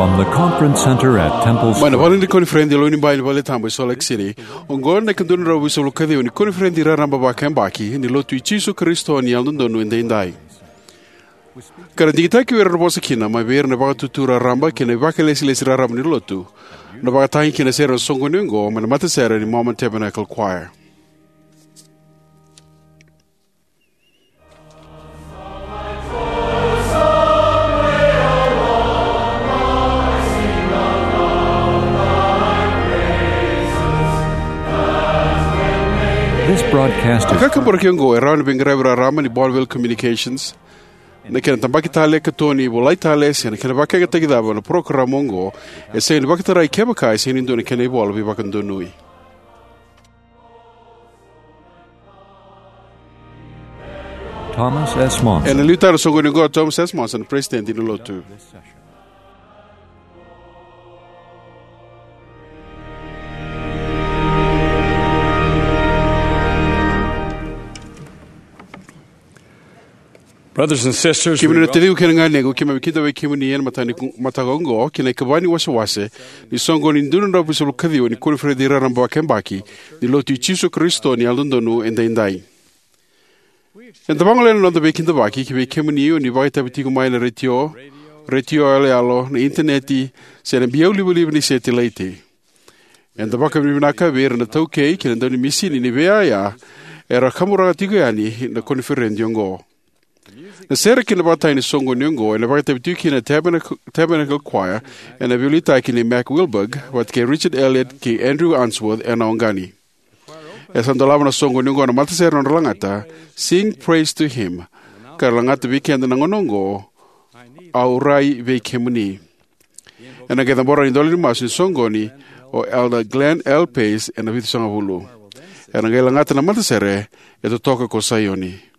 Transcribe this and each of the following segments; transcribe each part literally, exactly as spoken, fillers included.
From the conference center at Temple Mai na Square. Vale ni koniferedi e Lewenibai ni Valetabu e Salt Lake City, oqo na ikadua na drau vitusagavulu ka ciwa ni koniferedi raraba vakayabaki ni Lotu i Jisu Karisito ni Yalododonu Edaidai. Ka na digitaki vei ira na vosa kina mai vei ira na vakatutu raraba kei na vakailesilesi raraba ni Lotu, na vakatagi kei na sere na soqoni oqo mai na matasere ni Mormon Tabernacle Choir. This broadcast is Ka kaburaki oqo e rawa ni veiqaravi raraba ni Bonneville Communications. Na kena tabaki tale, katoni, volai tale, se na kena vakayagataki cava na parokaramu oqo, e sega ni vakatarai kevaka e sega ni dua na kena ivola veivakadonui. Thomas S. Monson. Ena liutaka na soqoni oqo o Thomas S. Monson, President ni Lotu. Brothers and sisters, kemuni na taciqu kei na ganequ, keimami kidavaki kemuni ena mataka ni ku-, mataka oqo, ki na ikava ni wasewase ni soqoni dua na drau vitusagavulu ka ciwa ni koniferedi raraba vakayabaki ni Lotu i Jisu Karisito ni Yalododonu Edaidai. Eda vagolea na noda veikidavaki ki vei kemuni o ni vakaitavi tiko mai na retio, retio yaloyalo, na initaneti, se na biau livaliva ni setilaiti. Eda vakavinavinaka vei ira na taukei kei na daunimisini ni veiyaya era kaburaka tiko yani na koniferedi oqo. Na sere kei na vakatagi ni soqoni oqo ena vakaitavi tiko kina na Tabernacle, Tabernacle Choir, ena veiliutaki nei Mac Wilberg vata kei Richard Elliott kei Andrew Unsworth ena oqani. E sa dolava na soqoni oqo na matasere na nodra lagata Sing Praise to Him, ka ra lagata vei keda na gauna oqo, Au Rai Vei Kemuni. Ena qai cabora na idola ni masu ni soqoni o Elder Glenn L. Pace ena vitusagavulu. Ena qai lagata na matasere E Totoka Ko Saioni.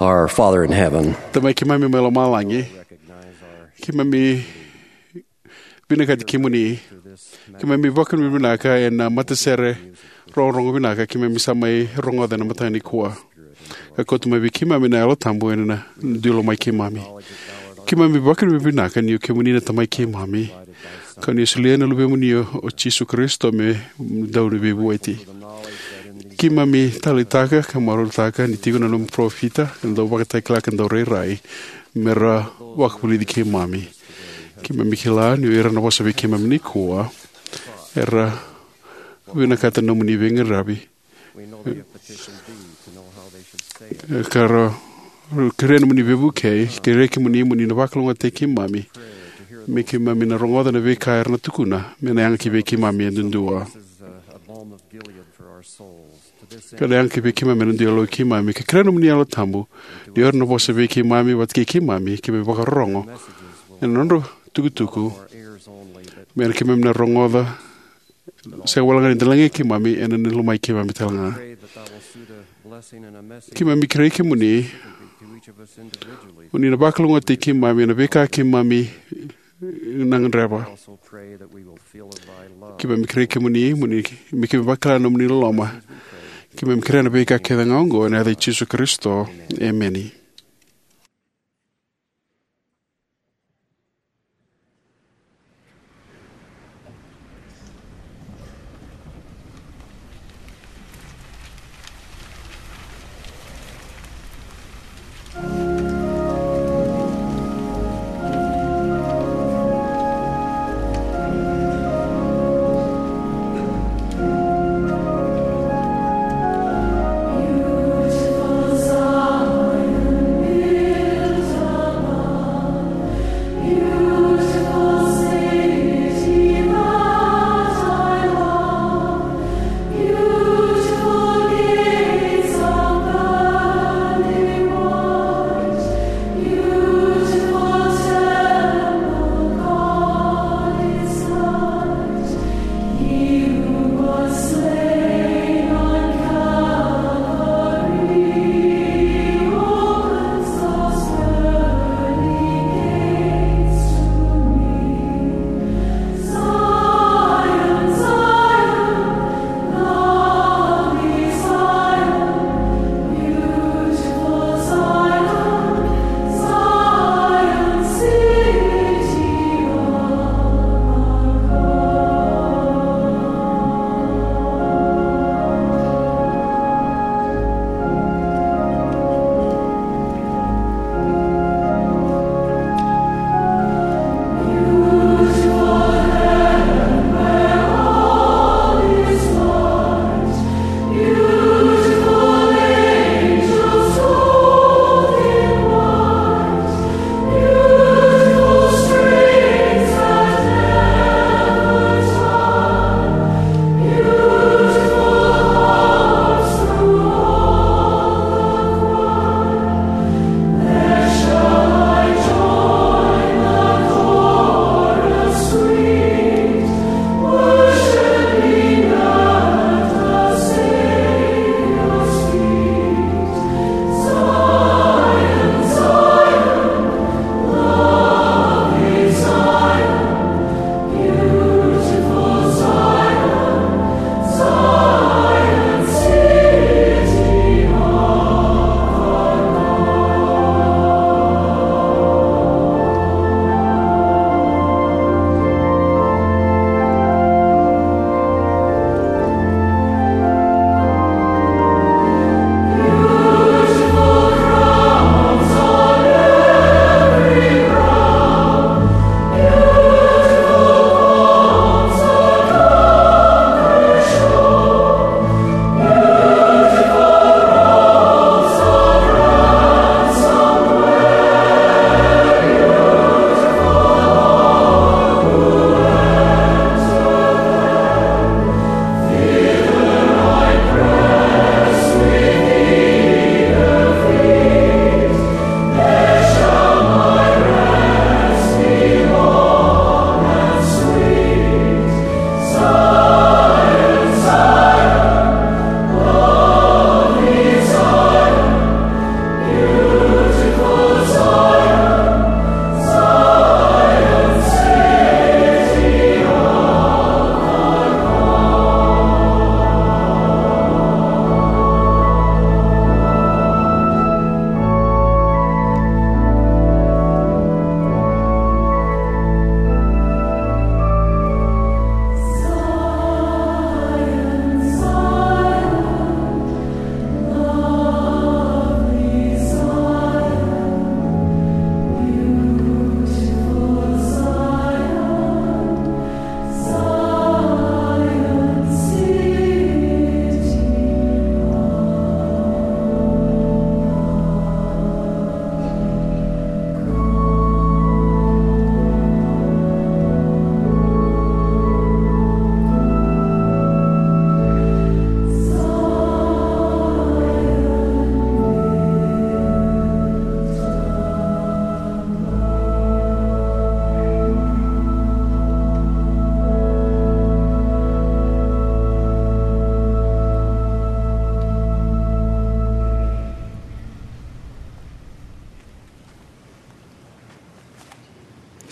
Our Father in heaven, Tamai keimami mai lomalagi, keimami vinakati kemuni. Keimami vakavinavinaka ena matasere rogorogo vinaka keimami sa mai rogoca ena mataka nikua, ka kauta mai vei keimami na Yalo Tabu ena dui lomai keimami. Keimami vakavinavinaka ni o kemuni na Tamai keimami, ka ni o solia na Luvemuni o Jisu Karisito me dau ni veivueti. Keimami taleitaka ka marautaka ni tiko na nomu parofita, na dau vakatakila ka dau rairai, me ra vakavulici keimami. Keimami kila ni o ira na vosa vei keimami nikua era vinakata nomuni veiqaravi, ka ra kerea nomuni veivukei. Kerea kemuni mo ni na vakalougatataki keimami, me keimami na rogoca na veika era na tukuna me na yaga ki vei keimami e duadua, ka na yaga ki vei keimami ena dui yaloi keimami. Ka kerea nomuni Yalo Tabu ni o ira na vosa vei keimami vata kei keimami, keimami vakarorogo ena nodra tukutuku, me na keimami na rogoca, sega walega ni da lagei keimami, ena na lomai keimami talega. Keimami kerei kemuni mo ni na vakalougatataki keimami ena veika keimami na gadreva. Keimami kerei kemuni mo ni, me keimami vakila na nomuni loloma. Keimami kerea na veika kece ga oqo ena yaca i Jisu Karisito. Emeni.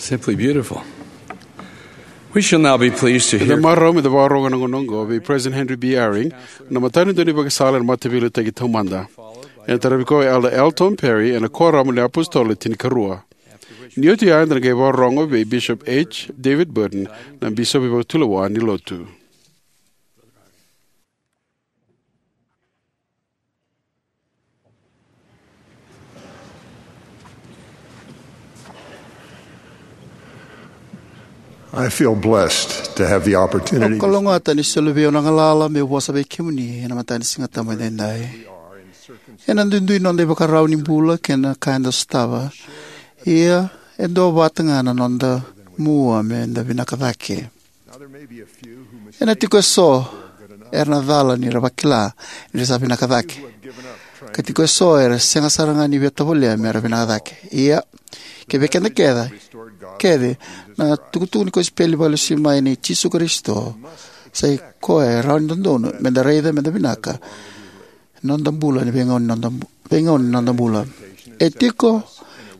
Simply beautiful. We shall now be pleased to Eda hear marau me da vakarorogo ena gauna oqo vei President Henry B. Eyring, na matanitu ni vakasala ena Mataveiliutaki Taumada. Ena taravi koya o Elder L. Tom Perry ena Kuoramu ni iApositolo Le Tinikarua. Ni oti ya, eda na qai vakarorogo vei Bishop H. David Burton, na bisopi vakatulewa ni Lotu. I feel blessed to have the opportunity. Au kalougata ni soli vei au na galala meu vosa vei kemuni ena mataka ni Sigatabu edaidai. Ena duidui noda ivakarau ni bula kei na ka eda sotava, ia e duavata ga na noda mua me da vinaka cake. Ena tiko eso era na cala ni ra vakila ni ra sa vinaka cake, ka tiko eso era sega sara ga ni via tovolea me ra vinaka cake. Ia, kei vei keda kece, kece na itukutuku ni kosipeli vakalesui mai nei Jisu Karisito sa i koya e rawa ni dodonu me da raica me da vinaka noda bula ni veigauna ni noda bu-, veigauna ni noda bula. E tiko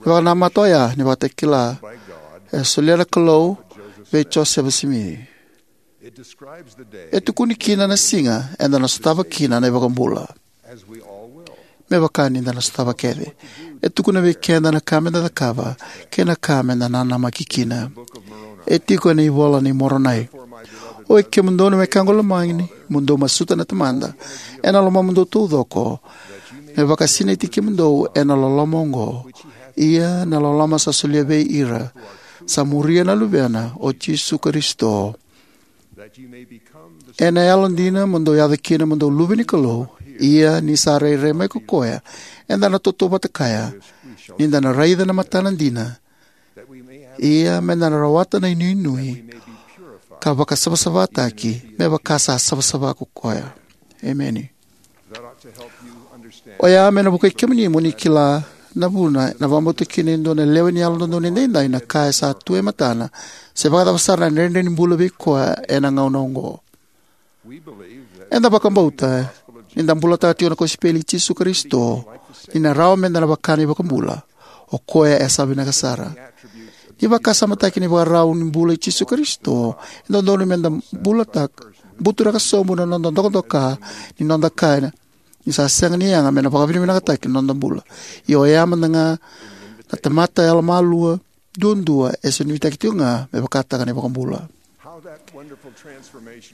na vakanamata oya ni Vakatakila e solia na Kalou vei Josefa Simici. E tukuni kina na siga eda na sotava kina na iVakabula, me vaka ni da na sotava kece. E tukuna vei keda na ka me da cakava kei na ka me da nanamaki kina. E tiko ena iVola i Moronai: Oi kemudou na wekaqu lomani, mo dou masuta na Tamada ena lomamudou taucoko, me vakasinaiti kemudou ena loloma oqo, ia na loloma sa solia vei ira sa muria na Luvena, o Jisu Karisito. Ena yalodina mo dou yaco kina mo dou luve ni Kalou, ia ni sa rairai mai ko koya, eda na tautauvata kaya, ni da na raica na matana dina, ia me da na rawata na inuinui, ka vakasavasavataki me vaka sa savasava ko koya. Emeni. Oya me na vukei kemuni mo ni kila na vuna e na vakabauta kina e dua na lewe ni Yalododonu Edaidai na ka e sa tu e matana, se vakacava sara na dredre ni bula vei koya ena gauna oqo. Eda vakabauta ni da bulataka tiko na kosipeli i Jisu Karisito, ni na rawa me da na vaka na iVakabula, o koya e sa vinaka sara. Ni vakasamataki na ivakarau ni bula i Jisu Karisito, e dodonu me da bulataka, buturaka sobu na noda dokadoka ni noda kaya ni sa sega ni yaga me na vakavinavinakataki na noda bula. Ia oya mada ga na tamata yalomalua duadua e sa nuitaki tiko ga me vakataka na iVakabula.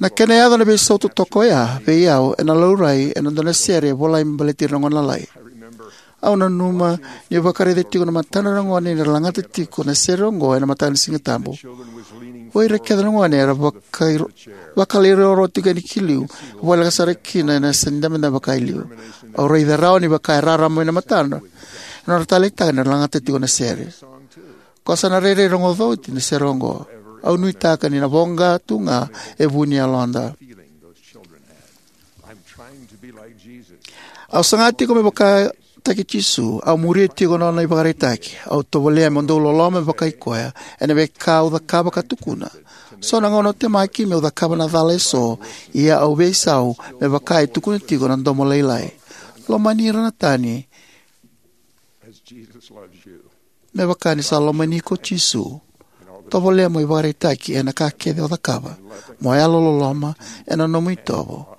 Na kena yaco na veisau totoka oya vei au ena laurai ena dua na sere e volai me baleti ira na gone lalai. Au nanuma niu vakaraica tiko na matadra na gone ni ra lagata tiko na sere oqo ena mataka ni Sigatabu. O ira kece na gone era vakai-, vakalairoro tiko yani ki liu, voleka sara kina ena yasa ni dabedabe vaka e liu. Au raica rawa ni vaka e rarama mai na matadra na nodra taleitaka ni ra lagata tiko na sere. Ko sa na rairai rogoca oti na sere oqo. Au nuitaka ni na voqa tu ga e vu ni yaloda. Au saga tiko me vakataki Jisu, au muria tiko na nona ivakaraitaki, au tovolea mo dou loloma me vaka i koya ena veika au cakava ka tukuna. So na gauna au temaki meu cakava na cala eso, ia au veisau me vaka e tukuna tiko na domo lailai: Lomani ira na tani me vaka ni sa lomani iko o Jisu. Tovolea mo ivakaraitaki ena ka kece o cakava, mo yalololoma ena nomu itovo,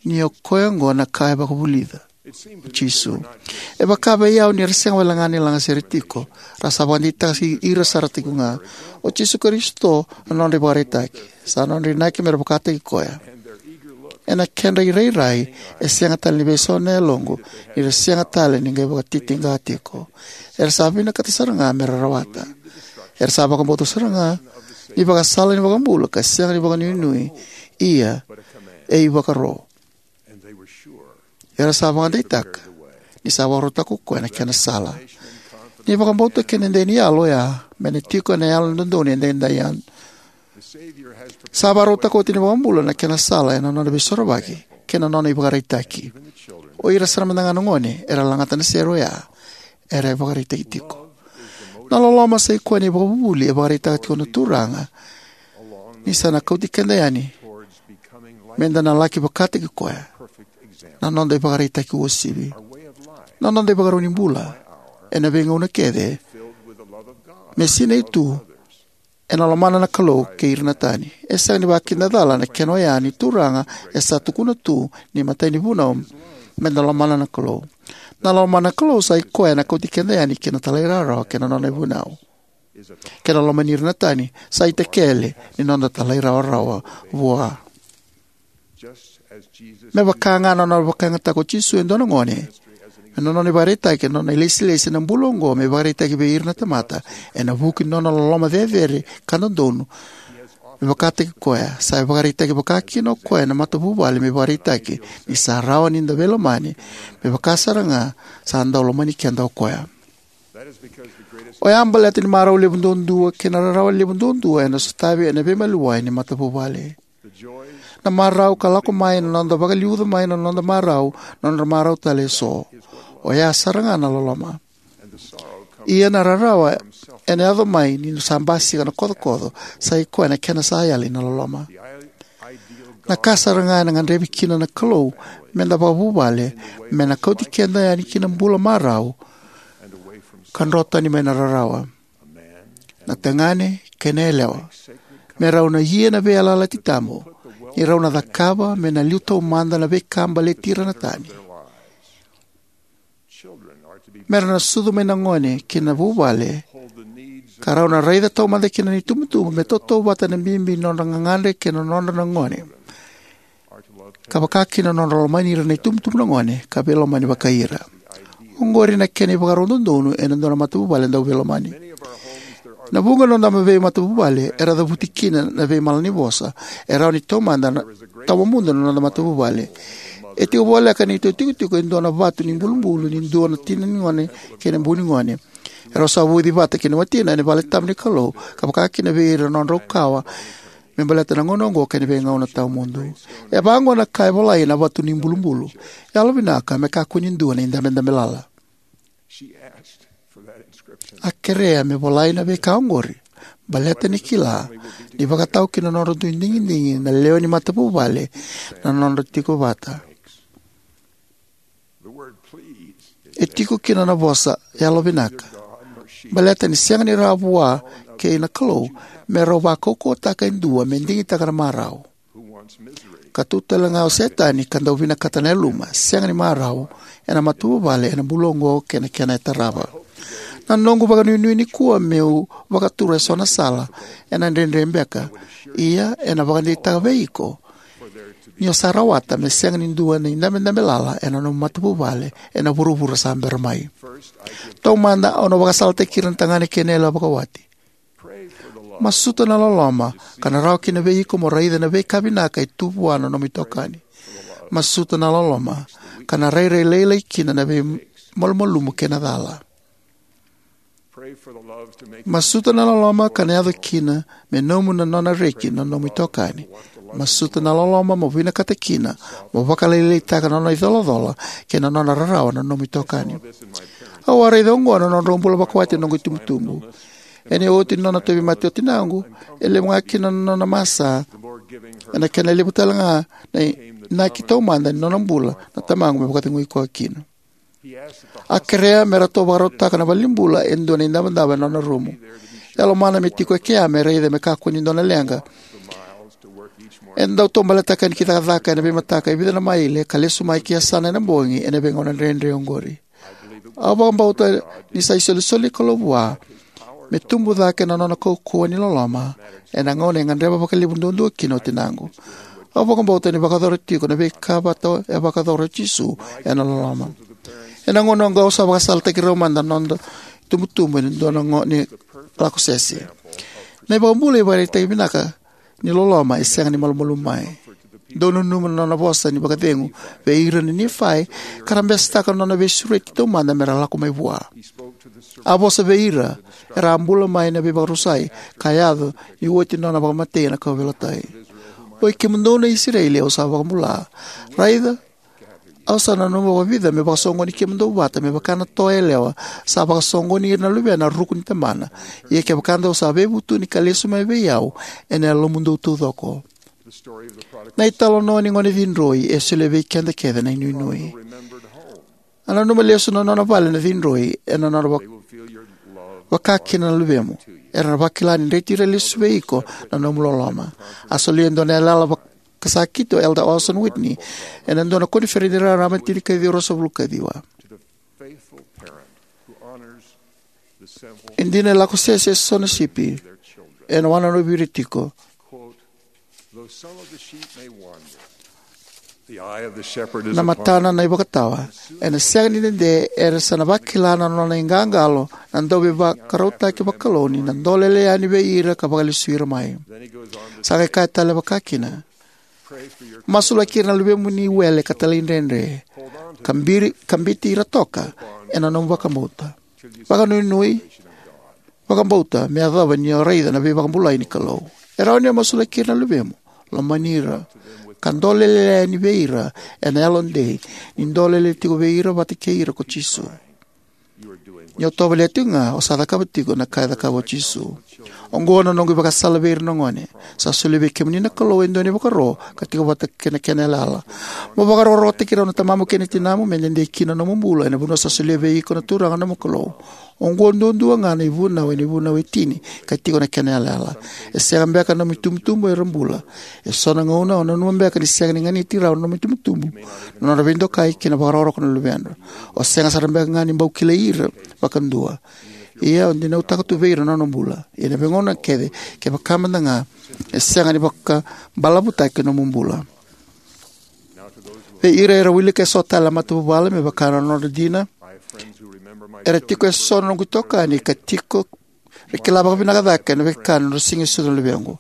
ni o koya oqo na ka e vakavulica o Jisu. E vaka vei au ni ra sega wale ga ni lagasere tiko, ra sa vakadeitaka ira sara tiko ga. O Jisu Karisito na nodra ivakaraitaki. Sa nodra inaki me ra vakataki koya. Ena kedra irairai, e sega tale ni veisau na yaloqu ni ra sega tale ni qai vakatitiqa tiko. Era sa vinakata sara ga me ra rawata. Era sa vakabauta sara ga ni vakasala ni iVakabula ka sega ni vakanuinui, ia e ivakaro. Era sa vakadeitaka ni sa vakarautaka ko koya na kena sala. Ni vakabauta kei na dei ni yalo oya me na tiko ena Yalododonu Edaidai ya. Sa vakarautaka oti na iVakabula na kena sala ena nona veisorovaki kei na nona ivakaraitaki. O ira sara mada ga na gone era lagata na sere oya era ivakaraitaki tiko. Na loloma sa i koya na ivakavuvuli e vakaraitaka tiko na Turaga ni sa na kauti keda yani me da na laki vakataki koya. Na noda ivakaraitaki uasivi, na noda ivakarau ni bula, ena veigauna kece, me sinai tu ena lomana na Kalou kei ira na tani. E sega ni vakidacala na kena oya ni Turaga e sa tukuna tu ni matai ni vunau me da lomana na Kalou. Na lomana na Kalou sa i koya ena kauti keda yani ki na talairawarawa kei na nona ivunau. Kei na lomani ira na tani sa itakele ni noda talairawarawa vua. Me vaka ga na nona vakayagataka o Jisu e dua na gone, me na nona ivakaraitaki ena nona ilesilesi ena bula oqo me ivakaraitaki vei ira na tamata, ena vuku ni nona loloma cecere ka dodonu me vakataki koya, sa ivakaraitaki vakakina o koya na matavuvale me ivakaraitaki ni sa rawa ni da veilomani, me vaka sara ga sa dau lomani keda o koya. Oya baleta ni marau levu duadua kei na rarawa levu duadua ena sotavi ena veimaliwai ni matavuvale. Na marau ka lako mai na noda vakaliuca mai na noda marau na nodra marau tale eso. Oya sara ga na loloma. Ia na rarawa ena yaco mai ni sa basika na kocokoco, sa i koya na kena sa yali na loloma. Na ka sara ga ena gadrevi kina na Kalou me da vakavuvale, me na kauti keda yani ki na bula marau ka dro tani mai na rarawa. Na tagane kei na yalewa me rau na ia na veiyalayalati tabu, ni rau na cakava me na liu taumada na veika baleti ira na tani. Me ra na sucu mai na gone ki na vuvale, ka rau na raica taumada kina na itubutubu me tautauvata na bibi ni nodra gagadre kei na nodra na gone, ka vakakina na nodra lomani ira na itubutubu na gone ka veilomani vakai ira. Oqori na kena ivakarau dodonu ena dua na matavuvale dau veilomani. Na vuqa na noda veimatavuvale era cavuti kina na veimala ni vosa e rawa ni taumada na tawamudu na noda matavuvale. E tiko voleka ni neitou itikotiko e dua na vatu ni bulubulu ni dua na tina ni gone kei na bu ni gone. Erau sa vuci vata kei na watina ena vale tabu ni Kalou, ka vakakina vei ira na nodrau kawa me baleta na gauna oqo kei na veigauna tawamudu. E vaqo na ka e volai ena vatu ni bulubulu: Yalovinaka, me kakua ni dua na idabedabe lala. A kerea me volai na veika oqori baleta ni kila ni vakatau ki na nodra dui digidigi na lewe ni matavuvale na nodra tiko vata. E tiko kina na vosa yalovinaka baleta ni sega ni rawa vua kei na Kalou me rau vakaukauwataka e dua me digitaka na marau. Ka tu tale ga o Setani ka dau vinakata na yaluma sega ni marau ena matavuvale ena bula oqo kei na kena e tarava. Na noqu vakanuinui nikua meu vakatura eso na sala ena dredre beka, ia ena vakadeitaka vei iko ni o sa rawata me sega ni dua na idabedabe lala ena nomu matavuvale ena vuravura sa bera mai. Taumada au na vakasalataki ira na tagane kei na yalewa vakawati. Masuta na loloma ka na rawa kina vei iko mo raica na veika vinaka e tu vua na nomu itokani. Masuta na loloma ka na rairai lailai kina na veimalumalumu kei na cala. Masuta na loloma ka na yaco kina me nomu na nona reki na nomu itokani. Masuta na loloma mo vinakata kina mo vakalailaitaka na nona icolacola kei na nona rarawa na nomu itokani. Au a raica oqo na nodrau bula vakawati na noqu itubutubu. Ena oti ni nona tauvimate o tinaqu, e levu ga kina na nona masa, ena kena levu tale ga na inaki taumada ni nona bula na tamaqu me vakacegui koya kina. A kerea me ratou vakarautaka na valenibula e dua na idavodavo ena nona rumu. E lomana me tiko e kea me raica me kakua ni dua na leqa. E dau taubaletaka yani ki cakacaka ena veimataka e vica na maile ka lesu mai ki yasana ena bogi ena veigauna dredre oqori. Au vakabauta ni sa isolisoli ni Kalou vua me tubu cake na nona kaukauwa ni loloma ena gauna e gadreva vakalevu duadua kina o tinaqu. Au vakabauta ni vakayacora tiko na veika vata e vakayacora o Jisu ena loloma. Ena gauna oqo au sa vakasalataki rau mada na noda itubutubu ena dua na gauna ni lako sese. Na iVakabula e ivakaraitaki vinaka ni loloma e sega ni malumalumu mai. Dou nanuma na nona vosa ni vakacegu vei ira na Nifai ka ra besetaka na nona veisureti taumada me ra lako mai vua. A vosa vei ira era a bula mai na veivakarusai ka yaco ni oti na nona vakamatei ena kauveilatai. Oi kemudou na Isireli au sa vakabula, raica, au sa nanuma vakavica me vakasoqoni kemudou vata me vaka na toa yalewa sa vakasoqoni ira na luvena ena ruku ni tamana. Ia kevaka dou sa veivutuni ka lesu mai vei au ena yalomudou taucoko. Na italanoa ni gone cidroi e solia vei keda kece na inuinui. A nanuma lesu na nona vale na cidroi ena nona vak- vakakina na luvemu. Era na vakila ni dreti ira lesu vei iko na nomu loloma. A solia e dua na yalayala vakasakiti o Elder Orson Whitney ena dua na koniferedi raraba tinikaciwa ruasagavulu kaciwa. E dina e lako sese eso na sipi ena wananavu vei ira tiko. Though some of the sheep may wander, the eye of the shepherd is Na upon matana na ivakatawa ena sega ni dede, era sa na vakila na nona iqaqalo na dauveivakarautaki vakalou ni na dolele yani vei ira ka vakalesuya ira mai. Then he goes on to Sa qai kaya tale vakakina, pray for your masulaki ira na luvemu ni wele ka talaidredre, ka biri- ka biuti ira toka ena nomu vakabauta. Vakanuinui, vakabauta me yacova ni o raica na veivakabulai ni Kalou. E rawa ni o masulaki ira na luvemu, lomani ira, ka dolele yani vei ira ena yalodei, ni dolele tiko vei ira vata kei ira ko Jisu. Ni o tovolea tiko ga, o sa cakava tiko na ka e cakava o Jisu. Oqo na noqu ivakasala vei ira na gone. Sa solia vei kemuni na Kalou e dua na ivakaro ka tiko vata kei na kena yalayala. Mo vakarokorokotaki rau na tamamu kei na tinamu me dede kina na nomu bula ena vanua sa solia vei iko na Turaga na nomu Kalou. Oqo duadua ga na ivunau ena ivunau e tini ka tiko na kena yalayala. E sega beka na nomu itubutubu era bula. Eso na gauna o nanuma beka ni sega ni ganiti rau na nomu itubutubu na nodra veidokai kei na vakarokoroko na luvedra. O sega sara beka ga ni bau kilai ira vakadua. Ia o dinautaka tu vei ira na nona bula. Ia na veigauna kece, kevaka mada ga e sega ni vakabalavutaki na nomu bula. Vei ira era wilika eso tale na matavuvale me vaka na nodra dina, era tiko eso na noqu itokani ka tiko ra kila vakavinaka cake na veika na nodra siga e sucu na luvequ.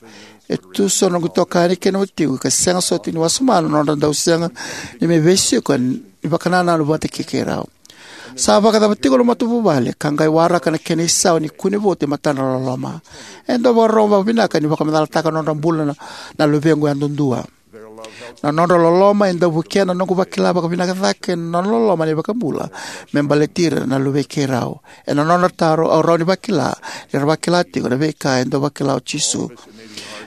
E tu so na noqu itokani kei na watiqu ka sega soti ni wasoma na nodra dau sega ni mai veisiko ni vakanananu vata kei keirau. Sa vakacava tiko na matavuvale ka qai waraka na kena isau ni kune votu e matadra na loloma? E dau vakarorogo vakavinaka ni vakamacalataka na nodra bula na, na luvequ yadudua. Na nodra loloma e dau vukea na noqu vakila vakavinaka cake na nona loloma na iVakabula me baleti ira na luvei keirau. Ena nodra taro, au rawa ni vakila ni ra vakila tiko na veika e dau vakila o Jisu.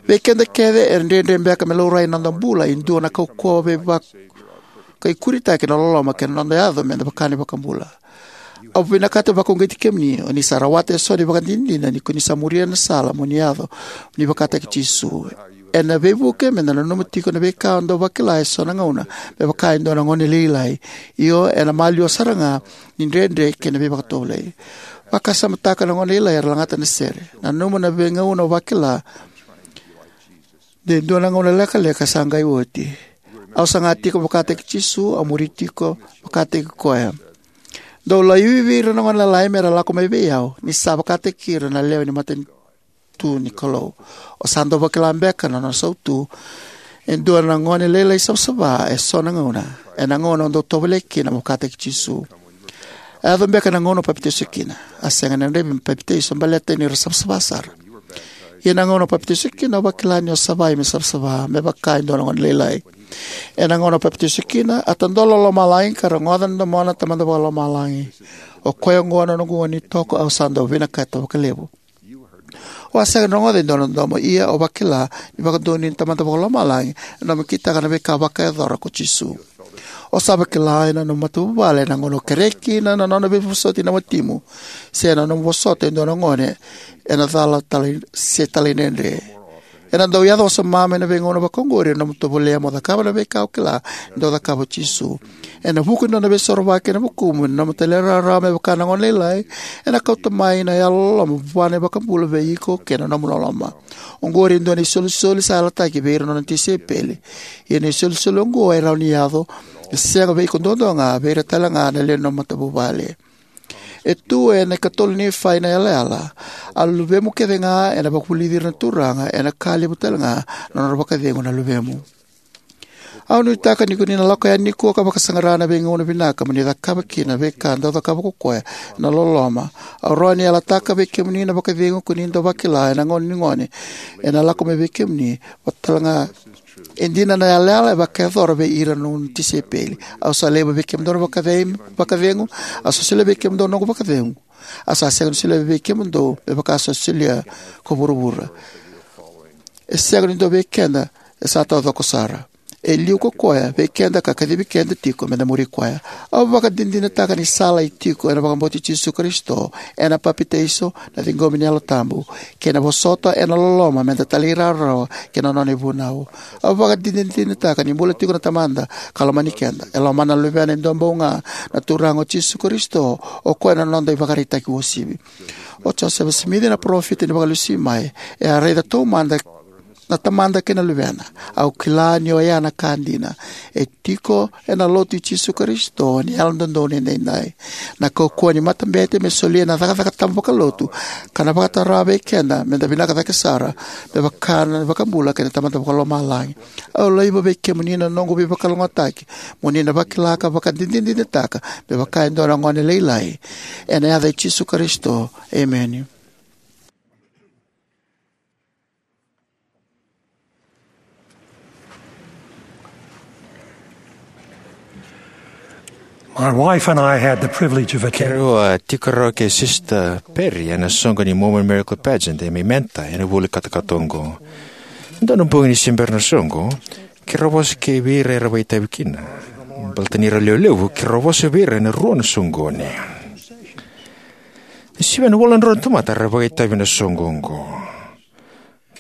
Vei keda kece, e dredre beka me laurai ena noda bula e dua na kaukauwa veivakaikuritaki na loloma kei na noda yaco meda vaka na iVakabula. Au vinakata vakauqeti kemuni, o ni sa rawata eso na ivakadinadina ni ko ni sa muria na sala mo ni yaco ni vakataki Jisu. Ena veivuke meda nanuma tiko na veika o dau vakila eso na gauna me vaka e dua na gone lailai. Io, ena maliwa sara ga ni dredre kei na veivakatovolei. Vakasamataka na gone lailai era lagata na sere. Nanuma na veigauna o vakila de dua na gauna lekaleka sa qai oti. Au saga tiko vakataki Jisu, au muri tiko vakataki koya. Dou laivi ira na gone lalai mera lako mai vei au, ni sa vakataki ira na lewe ni matanitu ni Kalou. O sa dau vakila beka na nona sautu e dua na gone lailai savasava eso na gauna, ena gauna o dau tovolea kina mo vakataki Jisu. A yaco beka na gauna o papitaiso kina. A sega ni gadrevi me papitaiso baleta ni ra savasava sara. Ia na gauna o papitaiso kina, au vakila ni o savai me savasava me vaka e dua na gone lailai. Ena gauna o papitaiso kina, a tadola o lomalagi ka rogoca na domona na Tamada Vakalomalagi. O koya oqo na noqu gone ni toko, au sa dau vinakata vakalevu. O a sega ni rogoca e dua na domo, ia o vakila ni vakadonui na Tamada Vakalomalagi ena nomu kitaka na veika vakayacora ko Jisu. O sa vakila ena nomu matavuvale ena gauna o kerea kina na nona veivosoti na watimu, se na nomu vosota e dua na gone ena cala talai- se talaidredre. Ena dau yaco wasoma mai na veigauna vakaoqori na nomu tovolea mo cakava na veika o kila ni dau cakava o Jisu. Ena vuku ni nona veisorovaki ena vukumu, na nomu talairawarawa me vaka na gone lailai ena kauta mai na yalololoma vua na iVakabula vei iko kei na nomu loloma. Oqori e dua na isolisoli sa yalataki vei ira na nona tisaipeli. Ia na isolisoli oqo e rawa ni yaco, e sega vei iko duadua ga, vei ira tale ga na lewe ni nomu matavuvale. E tu ena ikatolu ni Nifai na yalayala: A luvemu kece ga ena vakavulici ira na Turaga, ena ka levu tale ga na nodra vakacegu na luvemu. Au nuitaka ni ko ni na lako yani nikua ka vakasaqara na veigauna vinaka mo ni cakava kina na veika dau cakava ko koya ena loloma. Au rawa ni yalataka vei kemuni na vakacegu ko ni dau vakila ena gauna ni gone ena lako mai vei kemuni, vaka talega e dina na yalayala e vakayacora vei ira na nona tisaipeli. Au sa laiva vei kemudou na vakacei- vakacegu, au sa solia vei kemudou na noqu vakacegu. Au sa sega ni solia vei kemudou me vaka au sa solia ko vuravura. E sega ni dua vei keda e sa taucoko sara. e liu ko koya vei keda ka kacivi keda tiko me da muri koya. Au vakadinadinataka ni sala e tiko ena vakabauti Jisu Karisito, ena papitaiso, na ciqomi ni Yalo Tabu, kei na vosota ena loloma me da talairawarawa ki na nona ivunau. Au vakadinadinataka ni bula tiko na Tamada ka lomani keda. E lomana na Luvena e duabau ga, na Turaga o Jisu Karisito, o koya na noda ivakaraitaki uasivi. O Josefa Simici na parofita ni Vakalesui mai, e a raica taumada na Tamada kei na Luvena. Au kila ni oya na ka dina. E tiko ena Lotu i Jisu Karisito ni Yalododonu Edaidai. Na kaukauwa ni matabete me solia na cakacaka tabu vakalotu ka na vakataroga vei keda me da vinaka cake sara, me vaka na iVakabula kei na Tamada Vakalomalagi. Au laiva vei kemuni na noqu veivakalougatataki, mo ni na vakila ka vakadinadinataka me vaka e dua na gone lailai. Ena yaca i Jisu Karisito, emeni. My wife and I had the privilege of attending. Keirau a tiko rawa kei Sister Perry ena soqo ni Mormon Miracle Pageant e Memphis ena vula i katakata oqo. Dua na bogi ni se bera na soqo, keirau vosa kei vei ira era vakaitavi kina. Baleta ni ra lewe levu, keirau vosa vei ira ena rua na soqoni. E sivia na walu na drau na tamata era vakaitavi ena soqo oqo,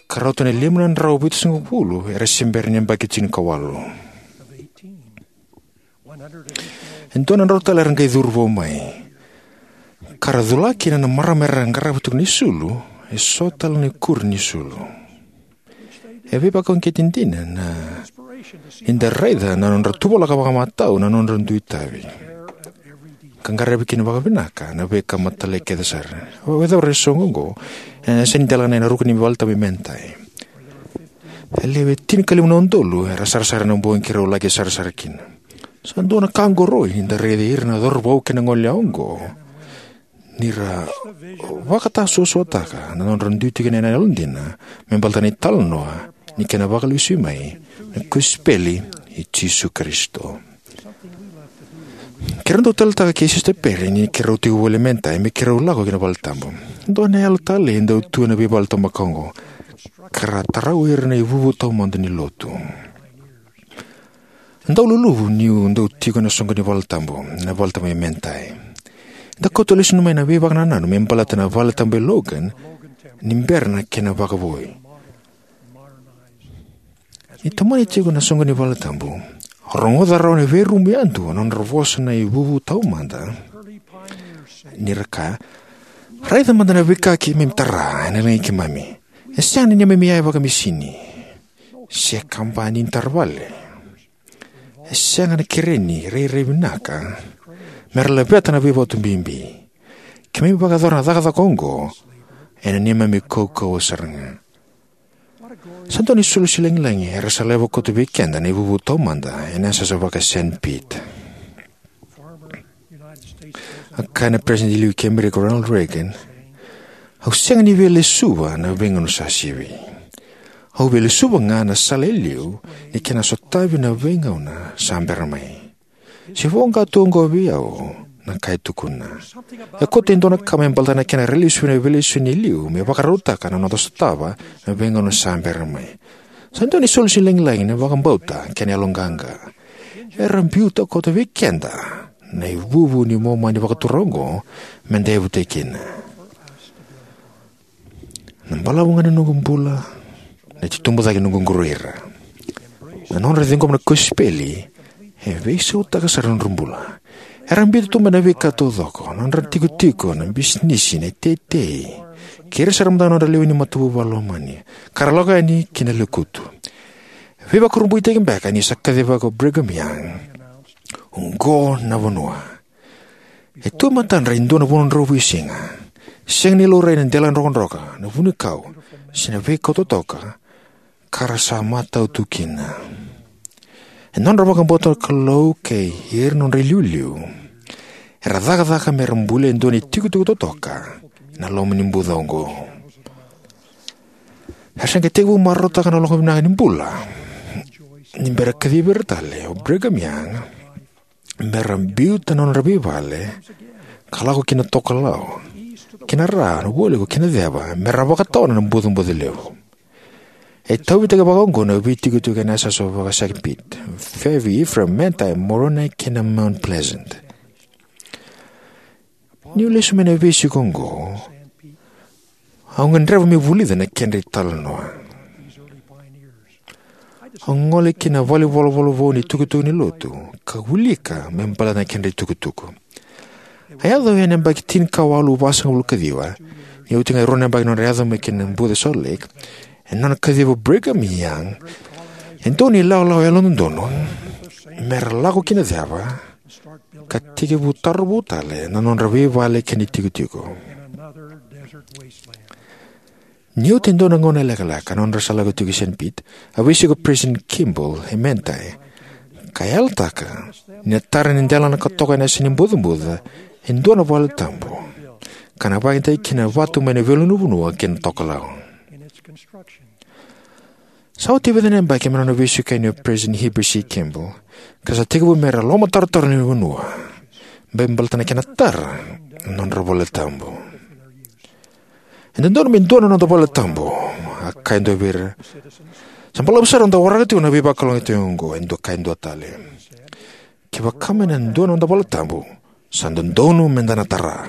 ka rauta na lima na drau vitusagavulu era se bera ni yabaki tinikawalu. E dua na drau tale era qai curu vou mai, ka ra cula kina na marama era qarava tiko na isulu, eso tale na ikuri ni isulu. E veivakauqeti dina na, ni da raica na nodra tuvalaka vakamatau na nodra dui itavi, ka qaravi kina vakavinaka na veika matailalai kece sara. Au yacova na soqo oqo ena yasa ni delana ena ruku ni valetabu e Manti. E lewe tinikalima na udolu era sarasara ena bogi keirau laki sarasara kina. Sa dua na ka oqori ni da raici ira na cauravou kei na gone yalewa oqo ni ra vakatasuasuataka na nodra dui tiko ena yalodina me baleta na italanoa ni kena vakalesui mai na kosipeli i Jisu Karisito. Keirau dau taleitaka kei Sister Perry ni keirau tiko voli e Manti me keirau lako ki na valetabu. Dua na yalo talei e dau tu ena veivale taumaka oqo, ka ra tarau ira na ivuvu taumada ni lotu. Dau luluvu niu dau tiko ena soqo ni valetabu, na valetabu e Manti. Da kauta lesu mai na veivakanananu me baleta na valetabu e Logan ni bera na kena vakavoui. Ni tomani tiko na soqo ni valetabu, rogoca rawa na veirumu yadua na nodra vosa na ivuvu taumada, ni ra kaya: "Raica mada na veika keimami tara ena lagi keimami. E sega ni neimami iyaya vakamisini se kabani ni taravale. E sega na kereni rairai vinaka me ra laveta na veivatu bibi. Keimami vakayacora na cakacaka oqo ena neimami kaukauwa sara ga." Sa dua na isolosi lagilagi era sa laiva koto vei keda na ivuvu taumada ena yasayasa vaka Saint Pete. A kaya na Peresitedi liu kei Amerika, Ronald Reagan: "Au sega ni via lesuva na veigauna sa sivi. Au via lesuva ga na sala e liu ni kena sotavi na veigauna sa bera mai. Se voqa tu oqo vei au na ka e tukuna. E koto e dua na ka me baleta na kena railesuvi na veilesoni e liu me vakarautaka na noda sotava na veigauna sa bera mai." Sa dua na isolosi lagilagi na vakabauta kei na yaloqaqa. Era biuta koto vei keda na ivuvu ni Momani vakatura oqo me da yavutaki kina. Na balavu ga ni noqu bula, na itubutubu cake ni noqu qoroira, na nodra ciqoma na kosipeli, e veisautaka sara na nodra bula. Era biuta tu mai na veika taucoko, na nodra tikotiko, na bisinisi, na iteitei, kei ira sara mada na nodra lewe ni matavuvale lomani, ka ra lako yani ki na lekutu. Veivakurabuitaki beka ni sa kacivaka o Brigham Young: "Oqo na vanua. E tu e matadra e dua na vanua drauvaisiga. Sega ni laurai na dela drokadroka, na vunikau, se na veikau totoka, ka ra sa matau tu kina." E nodra vakabauta na Kalou kei ira na nodra iliuliu, era cakacaka me ra bulia e dua na itikotiko totoka ena loma ni buca oqo. Era sa qai tekivu marautaka na lako vinaka ni bula ni bera kacivi ira tale o Brigham Young me ra biuta na nodra veivale ka lako ki na tokalau, ki na ra, na vualiku kei na ceva, me ra vakatawana na bucabuca levu. E tauvitaki vakaoqo na veitikotiko ena yasasawa vaka-Saint Pete, Fairview, Ephraim, Manti, Moroni kei na Mount Pleasant. Niu lesu mai na veisiko oqo, au gadreva meu vulica na kedra italanoa. Au gole ki na valenivolavola vou ni itukutuku ni lotu ka wilika me baleta na kedra itukutuku. A yaco ena yabaki tinikawalu vasagavulu kaciwa, ni oti ga e rua na yabaki nodra yaco mai ki na buca e Salt Lake, ena nona kaciva o Brigham Young e dua na ilawalawa yalododonu me ra lako ki na ceva ka tekivu taro vou tale na nodra veivale kei na itikotiko. Ni oti e dua na gauna lekaleka na nodra sa lako tiko i Saint Pete, a veisiko o President Kimball e Manti ka yalataka ni na tara ni delana ka toka ena yasa ni bucabuca e dua na valetabu ka na vakayagataki kina vatu mai na veiluluvanua ki na tokalau. Sa oti e vica na yabaki mai na nona veisiko yani o President Heber C. Kimball, ka sa tekivu me ra lomatarotaro na vanua me baleta na kena tara na nodra valetabu. "E dodonu me dua na noda valetabu," a kaya e dua vei ira. "Sa balavu sara na noda waraka tiko na veivakalougatataki oqo," e dua kaya e dua tale. "Kevaka me na dua na noda valetabu, sa dodonu me da na tara."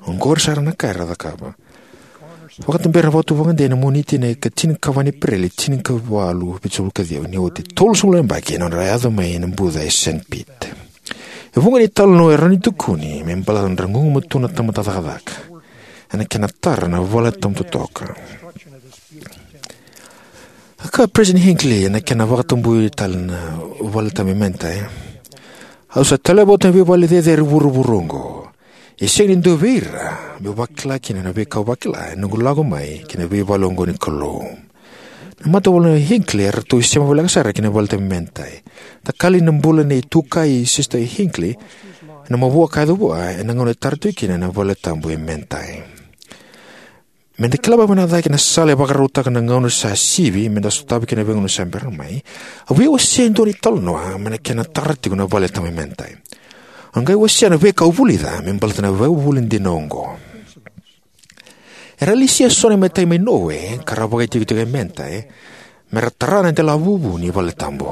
Oqori sara na ka era cakava. Vakatabera na vakatuvakadei ena Moniti na ika tinikava ni Epereli, tinikawalu vitusagavulu kaciwa, ni oti e tolusagavulu na yabaki na nodra yaco mai na buca e Saint Pete. E vuqa na italanoa e rawa ni tukuni me baleta na nodra gugumatua na tamata cakacaka ena kena tara na valetabu totoka. A kaya o President Hinckley ena kena vakatabui tale na valetabu e Manti, "Au sa taleva oti na veivale cecere e vuravura oqo. E sega ni dua vei ira meu vakila kina na veika au vakila ena noqu lako mai ki na veivale oqo ni Kalou." Na matavuvale nei Hinckley eratou isema voleka sara ki na valetabu e Manti. Takali na bula nei Tukai Sister Hinckley ena mavoa ka yaco vua ena gauna e tara tiko kina na valetabu e Manti. Me da kila vakavinaka cake na sala e vakarautaka na gauna sa sivi me da sotava kina na veigauna sa bera mai, au via wasea e dua na italanoa mai na kena tara tiko na valetabu e Manti. Au qai wasea na veika au vulica me baleta na ivakavuvuli dina oqo. Era lesia eso na imatai mai Norway ka ra vakaitikotiko e Manti me ra tara na delavuvu ni valetabu.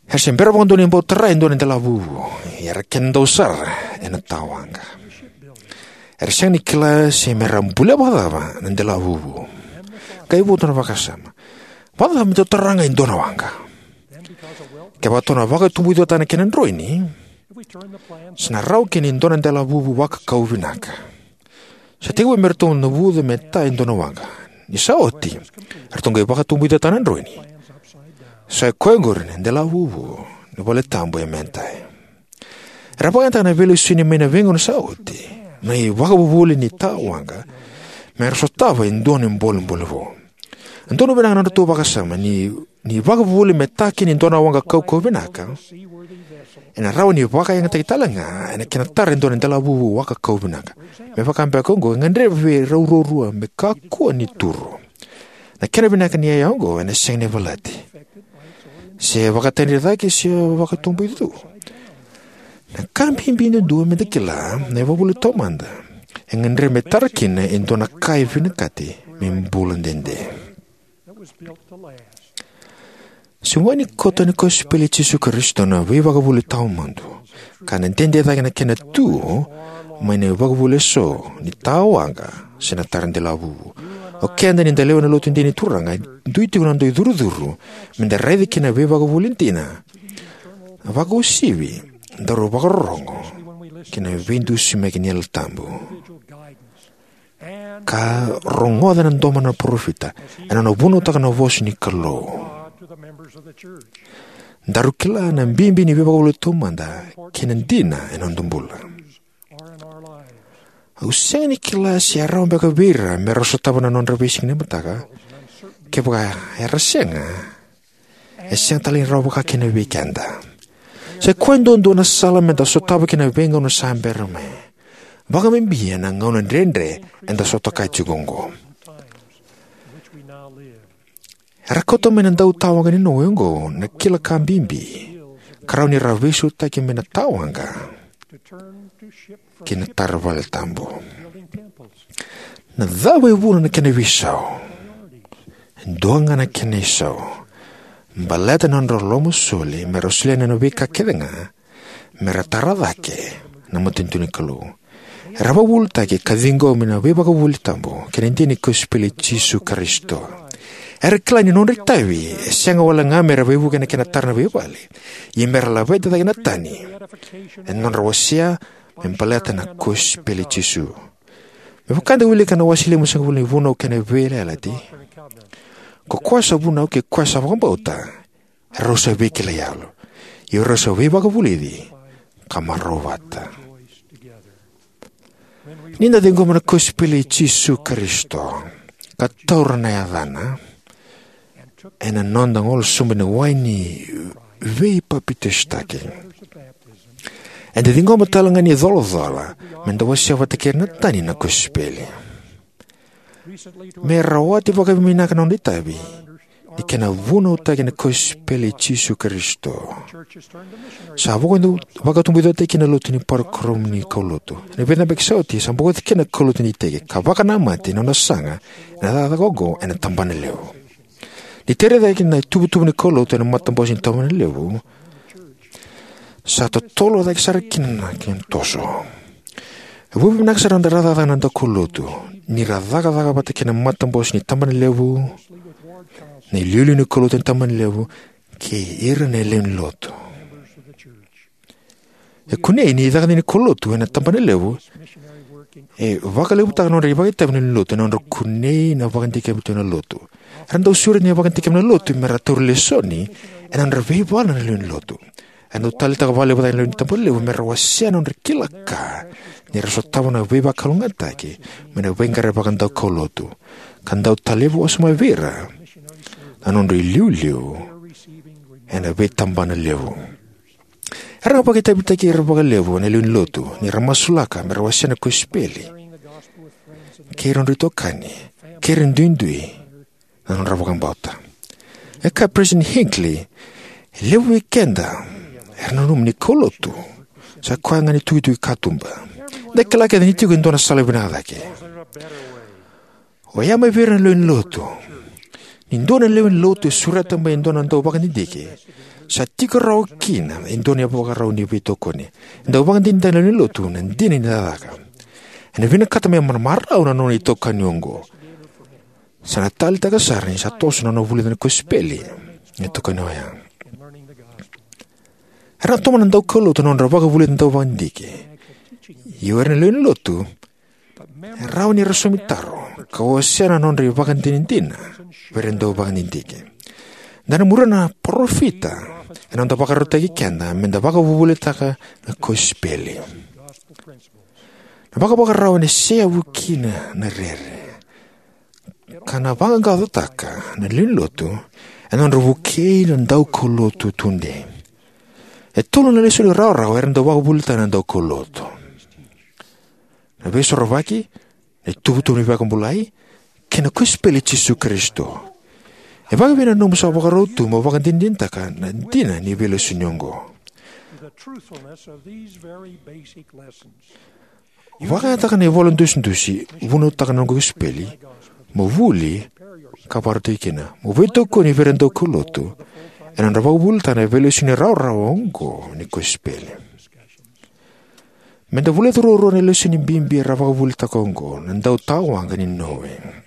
Era se bera vakadua ni bau tara e dua na delavuvu, ia era kena dau sara ena tawaqa. Era sega ni kila se me ra bulia vakacava na delavuvu. Qai votu na vakasama, "Vakacava me tou tara ga e dua na waqa? Kevaka tou na vakatubuicataka na kena droini, sa na rawa kina e dua na delavuvu vakakau vinaka." Sa tekivu me ratou navuca me ta e dua na waqa. Ni sa oti, eratou qai vakatubuicataka na droini. Sa i koya oqori na delavuvu ni valetabu e Manti. Era vakayagataka na veilesoni mai na veigauna sa oti na ivakavuvuli ni tawaqa me ra sotava e dua na bolebole vou. E donu vinaka na nodratou vakasama ni, ni ivakavuvuli me ta kina e dua na waqa kaukauwa vinaka ena rawa ni vakayagataki tale ga ena kena tara e dua na delavuvu vakakau vinaka. Me vaka beka oqo, e gadrevi vei rau ruarua me kakua ni turu. Na kena vinaka ni iyaya oqo ena sega ni valati, se vakatadre cake, se vakatubuicu. Na ka bibi duadua me da kila na ivakavuvuli taumada e gadrevi me tara kina e dua na ka e vinakati me bula dede. Se gone ni koto ni kosipeli i Jisu Karisito na veivakavuvuli taumada, ka na dede cake na kena tu mai na ivakavuvuli eso ni tawaqa se na tara delavuvu. O keda ni da lewena Lotu dina ni Turaga, e dui tiko na noda icurucuru me da raica kina na veivakavuvuli dina, vakauasivi, daru vakarorogo ki na veidusimaki ni Yalo Tabu, ka rogoca na domo na parofita ena nona vunautaka na vosa ni Kalou. Daru kila na bibi ni veivakavuvuli taumada kei na dina ena noda bula. Au sega ni kila se e rawa beka vei ira me ra sotava na nodra veisiga ni mataka. Kevaka era sega, e sega tale ni rawa vaka kina vei keda. Sa i koya duadua na sala me da sotava kina na veigauna sa bera mai, vakabibi ena gauna dredre eda sotava tiko oqo. Era kauta mai na dautawaqa ni Noa oqo na kila ka bibi ka rawa ni ra veisautaki mai na tawaqa ki na tara vale tabu. Na cava e vuna na kena veisau? Dua ga na kena isau, baleta na nodra lomasoli me ra solia na veika kece ga me ra tara cake na matanitu ni Kalou. Era vakavuvulitaki ka ciqomi na veivakavuvuli tabu kei na dina ni kosipeli i Jisu Karisito. Era kila ni nodra itavi e sega wale ga me ra veivuke ena kena tara na veivale, ia me ra laveta cake na tani ena nodra wasea me baleta na kosipeli i Jisu. Me vaka eda wilika ena wase limasagavulu ni Vunau kei na Veiyalayalati, ko koya sa vunau kei koya sa vakabauta, erau sa veikilai yalo, ia erau sa veivakavulici ka marau vata. Ni da ciqoma na kosipeli i Jisu Karisito ka taura na yacana ena noda golo sobu ena wai ni veipapitaisotaki, eda ciqoma tale ga ni colacola me da wasea vata kei ira na tani na kosipeli. Me rawati vakavinaka na noda itavi ni kena vunautaki na kosipeli i Jisu Karisito. Sa vakatu-, vakatubuicataki kina na lotu ni parokaramu ni kaulotu. Ena vica na yabaki sa oti, sa bokoci kina na kaulotu ni iteki ka vakanamata na nona saga ena cakacaka oqo ena tabana levu. Ni tara cake na ituvatuva ni kaulotu ena matabose ni tabana levu, sa totolo cake sara kina na kena toso. E vakavinaka sara na noda cakacaka na daukaulotu ni ra cakacaka vata kei na matabose ni tabana levu, na iliuliu ni kaulotu ena tabana levu, kei ira na lewe ni lotu. E kunei ni cakacaka ni kaulotu ena tabana levu e vakalevutaka na nodra ivakaitavi na lewe ni lotu ena nodra kunei na vakadikevi tu na lotu. Era dau sureti na vakadikevi na lotu me ra tauri lesoni ena nodra veivala na lewe ni lotu. Era dau taleitaka vakalevu cake na lewe ni tabana levu me ra wasea na nodra kila ka ni ra sotava na veivakalougatataki mai na veiqaravi vakadaukaulotu, ka dau talevi wasoma vei ira na nodra iliuliu ena veitabana levu. Era vakaitavitaki ira vakalevu na lewe ni lotu ni ra masulaka me ra wasea na kosipeli kei ira nodra itokani, kei ira duidui na nodra vakabauta. E kaya o President Hinckley, e levu vei keda era nanuma ni kaulotu sa koya ga ni tukituki katuba. Da kila kece ni tiko e dua na sala vinaka cake. Oya mai vei ira na lewe ni lotu. Ni dua na lewe ni lotu e sureta mai e dua na dauvakadidike, sa tiko rawa kina e dua na ivakarau ni veitokoni. E dau vakadinadina na lewe ni lotu na dina ni cakacaka. Ena vinakata me marau na nona itokani oqo. Sa na taleitaka sara ni sa toso na nona vulica na kosipeli na itokani oya. Era na tomana na daukaulotu na nodra vakavulica na dauvakadidike. Ia o ira na lewe ni lotu e rawa ni ra saumi taro ka wasea na nodra ivakadinadina vei ira na dauvakadidike. Da na muria na parofita ena noda vakarautaki keda me da vakavuvulitaka na kosipeli. Na vakavakarau ena seyavu kina na rere ka na vaqaqacotaka na lewe ni lotu ena nodra vukei na daukaulotu tudei. E tolu na lesoni rawarawa era dau vakavuvulitaka na daukaulotu: na Veisorovaki, na ituvatuva ni veivakabulai, kei na kosipeli i Jisu Karisito. E vakaevei na nomu sa vakarau tu mo vakadinadinataka na dina ni veilesoni oqo? Vakayagataka na ivola dusidusi Vunautaka na Noqu Kosipeli mo vuli ka vakarautaki kina, mo veitokoni vei ira na daukaulotu ena nodra vakavuvulitaka na veilesoni rawarawa oqo ni kosipeli. Me da vulica ruarua na lesoni bibi era vakavuvulitaka oqo na dautawaqa ni Nowe.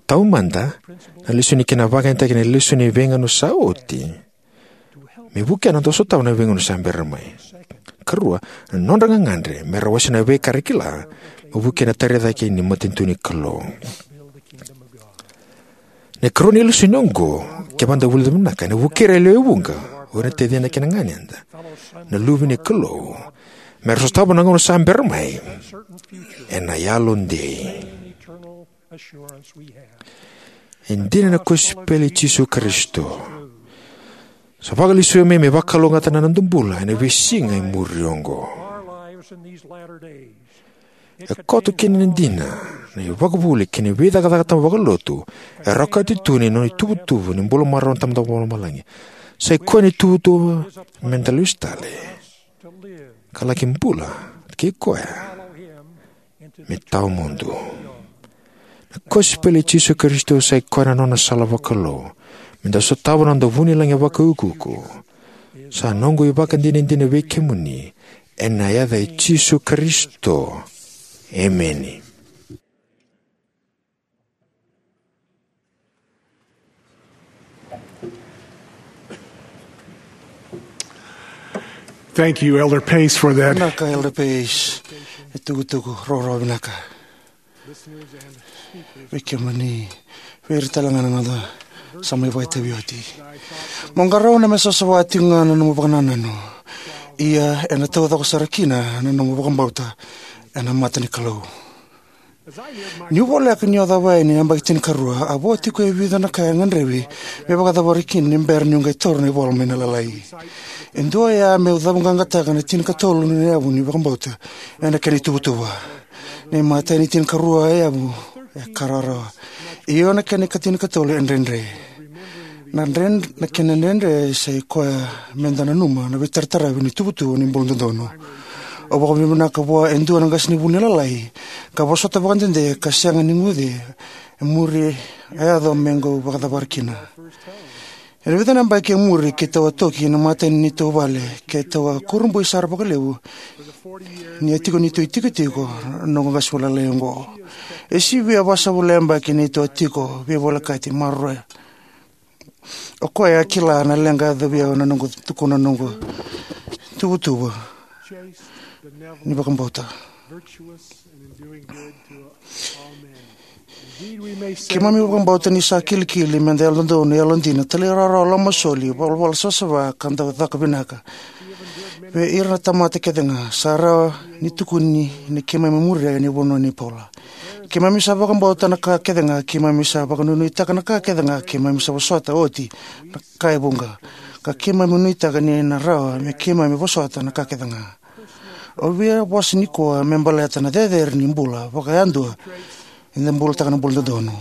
Taumada, na lesoni kei na vakayagataki na lesoni veigauna sa oti me vukea na dau sotava na veigauna sa bera mai. Karua, na nodra gagadre me ra wasea na veika era kila me vukea na tara cake ni matanitu ni Kalou. Na ikarua ni lesoni oqo, kevaka da vulica vinaka, ena vukei ira e lewe vuqa, o ira na tacida kei na ganeda, na luve ni Kalou, me ra sotava na gauna sa bera mai ena yalodei. E dina na kosipeli i Jisu Karisito. Sa vakalesuya mai me vakalougatataka na noda bula ena veisiga e muri oqo. E koto kina na dina, na ivakavuvuli kei na veicakacaka tabu vakalotu e rawa ni kauti tu na nona ituvatuva ni bula marau na Tamada Vakalomalagi. Sa i koya na ituvatuva me da lesu tale ka laki bula kei koya me tawamudu. A kosipeli i Jisu Karisito sa i koya na nona sala vakalou me da sotava na noda vunilagi vakaiukuuku. Sa noqu ivakadinadina vei kemuni, ena yaca i Jisu Karisito. Emeni. Thank you, Elder Pace, for that. Vinaka, Elder Pace. E tukutuku roroa vinaka. Vei kemuni, vei ira tale ga na noda sa mai vakaitavi oti. Mo qarauna me savasava tiko ga na nomu vakanananu. Ia, ena taucoko sara kina na nomu vakabauta ena mata ni Kalou. Niu voleka niu a cava yani na yabaki tinikarua, a vo tiko e vica na ka e gadrevi me vakacavari kina ni bera niu qai taura na ivola mai na Lalai. E dua oya meu cavuqaqataka na tinikatolu na yavu ni vakabauta ena kena ituvatuva. Na imatai ni tinikarua e yavu e ka rawarawa. Io, na kena ikatinikatolu e dredre. Na dred-, na kena dredre sa i koya me da nanuma na veitarataravi ni tuvatuva ni bula dodonu. Au vakavinavinaka vua e dua na qasenivuli ni Lalai ka vosota vakadede ka sega ni guce e muri a yaco me qai vakacavara kina. Ena vica na yabaki e muri keitou a toki ena imatai ni neitou vale, keitou a kurabui sara vakalevu ni a tiko neitou itikotiko na noqu qasenivuli lalai oqo. E sivia vasagavulu na yabaki neitou a tiko veivolekati maroroya. O koya a kila na leqa e yacovi au na noqu tukuna na noqu tuvatuva ni vakabauta. Keimami vakabauta ni sa kilikili me da yalododonu, yalodina, talairawarawa, lomasoli, valavala savasava, ka dau caka vinaka vei ira na tamata kece ga. Sa rawa ni tukuni ni keimami muria na vanua nei Paula. Keimami sa vakabauta na ka kece ga, keimami sa vakanuinuitaka na ka kece ga, keimami sa vosota oti na ka e vuqa, ka keimami nuitaka ni na rawa me keimami vosota na ka kece ga. Au via vosa nikua me baleta na cecere ni bula vakayadua, eda bulataka na bula dodonu.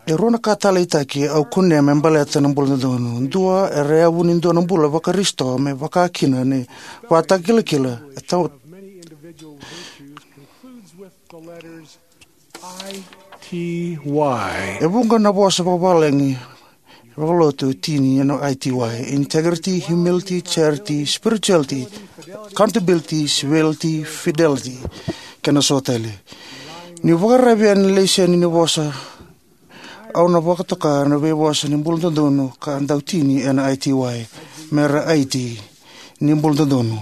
E rua na ka taleitaki au kunea me baleta na bula dodonu. Dua, era yavu ni dua na bula vaKarisito me vaka kina na ivakatakilakila e tau-, I T Y. E vuqa na vosa vakavalagi vakalotu e tini ena I T Y: integrity, humility, charity, spirituality, accountability, civility, fidelity, kei na so tale. Niu vakararavi ena laiseni ni vosa, au na vakatoka na veivosa ni bula dodonu ka dau tini ena I T Y, mera I T ni bula dodonu.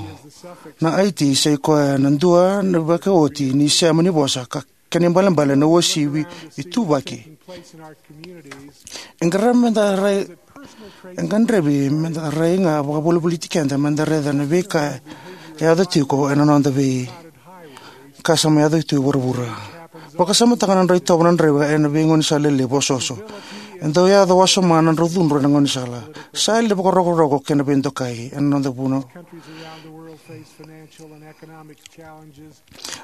Na I T sa i koya na dua na vakaoti ni sema ni vosa ka kena ibalebale na uasivi ituvaki. E gadrevi me da rai, e gadrevi me da rai ga vakavolivoliti keda me da raica na veika e yaco tiko ena noda veika sa mai yaco tu e vuravura. Vakasamataka na drau itovo na draiva ena veigaunisala lelevu osooso. E dau yaco wasoma na drau cudru ena gaunisala. Sa yali na vakarokoroko kei na veidokai ena noda vanua.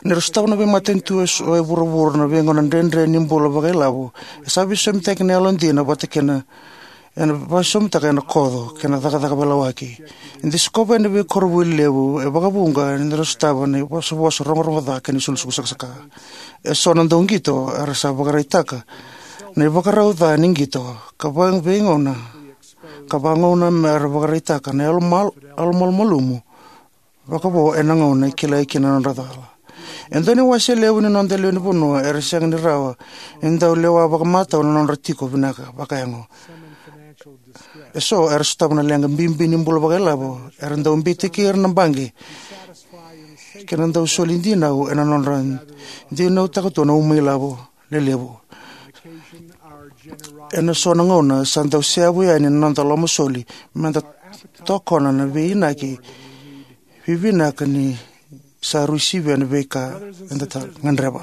Ni ra sotava na veimatanitu eso e vuravura na veigauna dredre ni bula vakailavo, e sa veisomitaki na yalodina vata kei na, ena veisomitaka ena koco kei na cakacaka veilawaki. E da sikova ena veikoronivuli levu e vakavuqa ni ra sotava na ivosavosa rogorogo ca kei na isulusulu sakasaka. Eso na dauqito era sa vakaraitaka na ivakarau ca ni qito ka va-, veigauna, ka vagauna mera vakaraitaka na yalo mal-, yalo malumalumu vakavo ena gauna e kilai kina na nodra cala. E dua na iwase levu ni noda lewenivanua era sega ni rawa ni dau lewa vakamatau na nodra tiko vinaka vakayago. Eso era sotava na leqa bibi ni bula vakailavo, era dau beitaki ira na baqe kei na dau soli dinau ena nodra dinautaka tu na uma ilavo lelevu. Ena so na gauna sa dau seavu yani na noda lomasoli me da tokona na veiinaki vivinaka ni sa rui sivia na veika eda ta gadreva.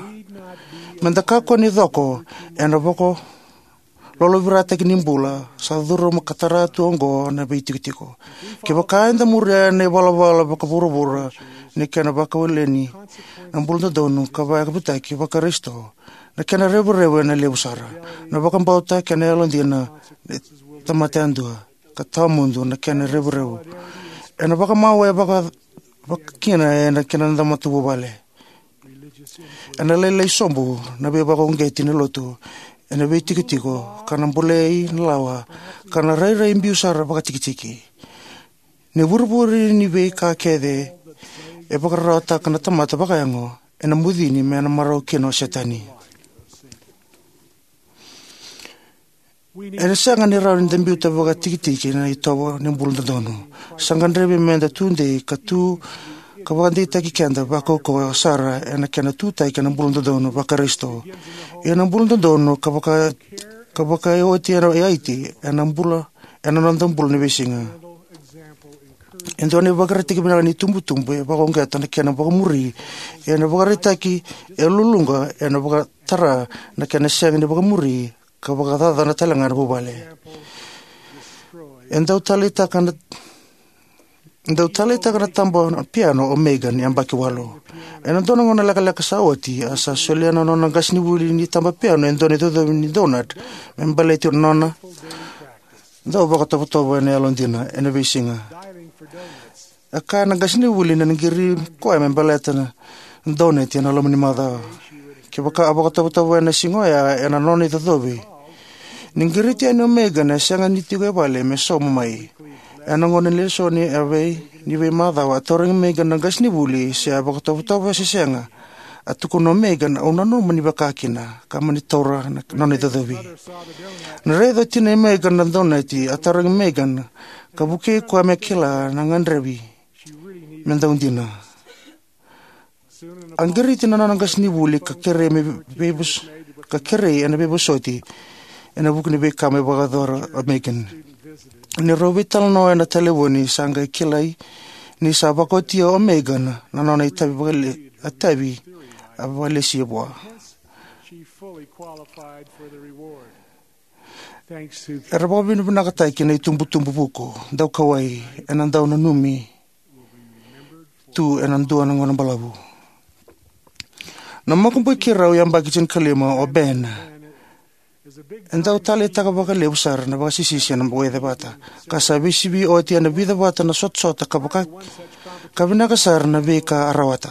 Me da kakua ni coko ena vakalougatataki ni bula sa curuma ka tara tu oqo na veitikotiko. Kevaka eda muria na ivalavala vakavuravura ni kena vakawaleni na bula dodonu ka vakayavutaki vaKarisito, na kena revurevu ena levu sara. Na vakabauta kei na yalodina e tamata yadua ka tawamudu na kena revurevu. Ena vakamawe vaka, vaka kina ena kena noda matavuvale. Ena lailai sobu na veivakauqeti ni lotu ena veitikotiko, ka na bolei na lawa, ka na rairai biu sara vakatikitiki. Ni vurivuri ni veika kece e vakararawataka na tamata vakayago, ena bucini me na marau kina o Setani. Ena sega ni rawa ni da biuta vakatikitiki na itovo ni bula dodonu. Sa gadrevi me da tudei ka tu ka vakadeitaki keda vakaukauwa sara ena kena tutaki ena bula dodonu Vakarisito. Ia na bula dodonu ka vaka, ka vakaioti ena yaiti ena bula, ena noda bula ni veisiga. E dua na ivakaraitaki vinaka ni tubutubu e vakauqeta na kena vakamuri, ena vakaraitaki e luluqa ena vakatara na kena sega ni vakamuri, ka vakacacana tale ga na vuvale. E dau taleitaka na, dau taleitaka na taba na piano o Megan yabaki walu. Ena dua na gauna lekaleka sa oti, a sa solia na nona qasenivuli ni taba piano e dua na icocovi ni donut me baleti na nona dau vakatovotovo ena yalodina ena veisiga. E kaya na qasenivuli ni na qiri koya me baleta na donut ena loma ni macawa. Kevaka a vakatovotovo ena siga oya ena nona icocovi, ni qiriti yani o Megan e sega ni tiko e vale me sauma mai. Ena gauna ni lesoni e vei, ni veimacawa, a tarogi Megan na qasenivuli se a vakatovotovo se sega. A tukuna o Megan, "Au nanuma ni vaka kina," ka mani taura na nona icocovi. Na raica o tina i Megan na donut, a tarogi Megan ka vukei koya me kila na gadrevi me dau dina. A qiriti na nona qasenivuli ka kerei me veivos-, ka kerei ena veivosoti ena vuku ni veika me vakayacora o Megan. Ni rau veitalanoa ena talevoni, sa qai kilai ni sa vakaotia o Megan na nona itavi vakale-, itavi a vakalesia vua. Era vakavinavinakataki na itubutubu vuku, daukauwai, ena dau nanumi tu ena dua na gauna balavu. Na makubui keirau yabaki tinikalima o Ben e dau taleitaka vakalevu sara na vakasisisi ena wai cevata, ka sa veisivi oti ena vica vata na sotasota ka vaka, ka vinaka sara na veika a rawata.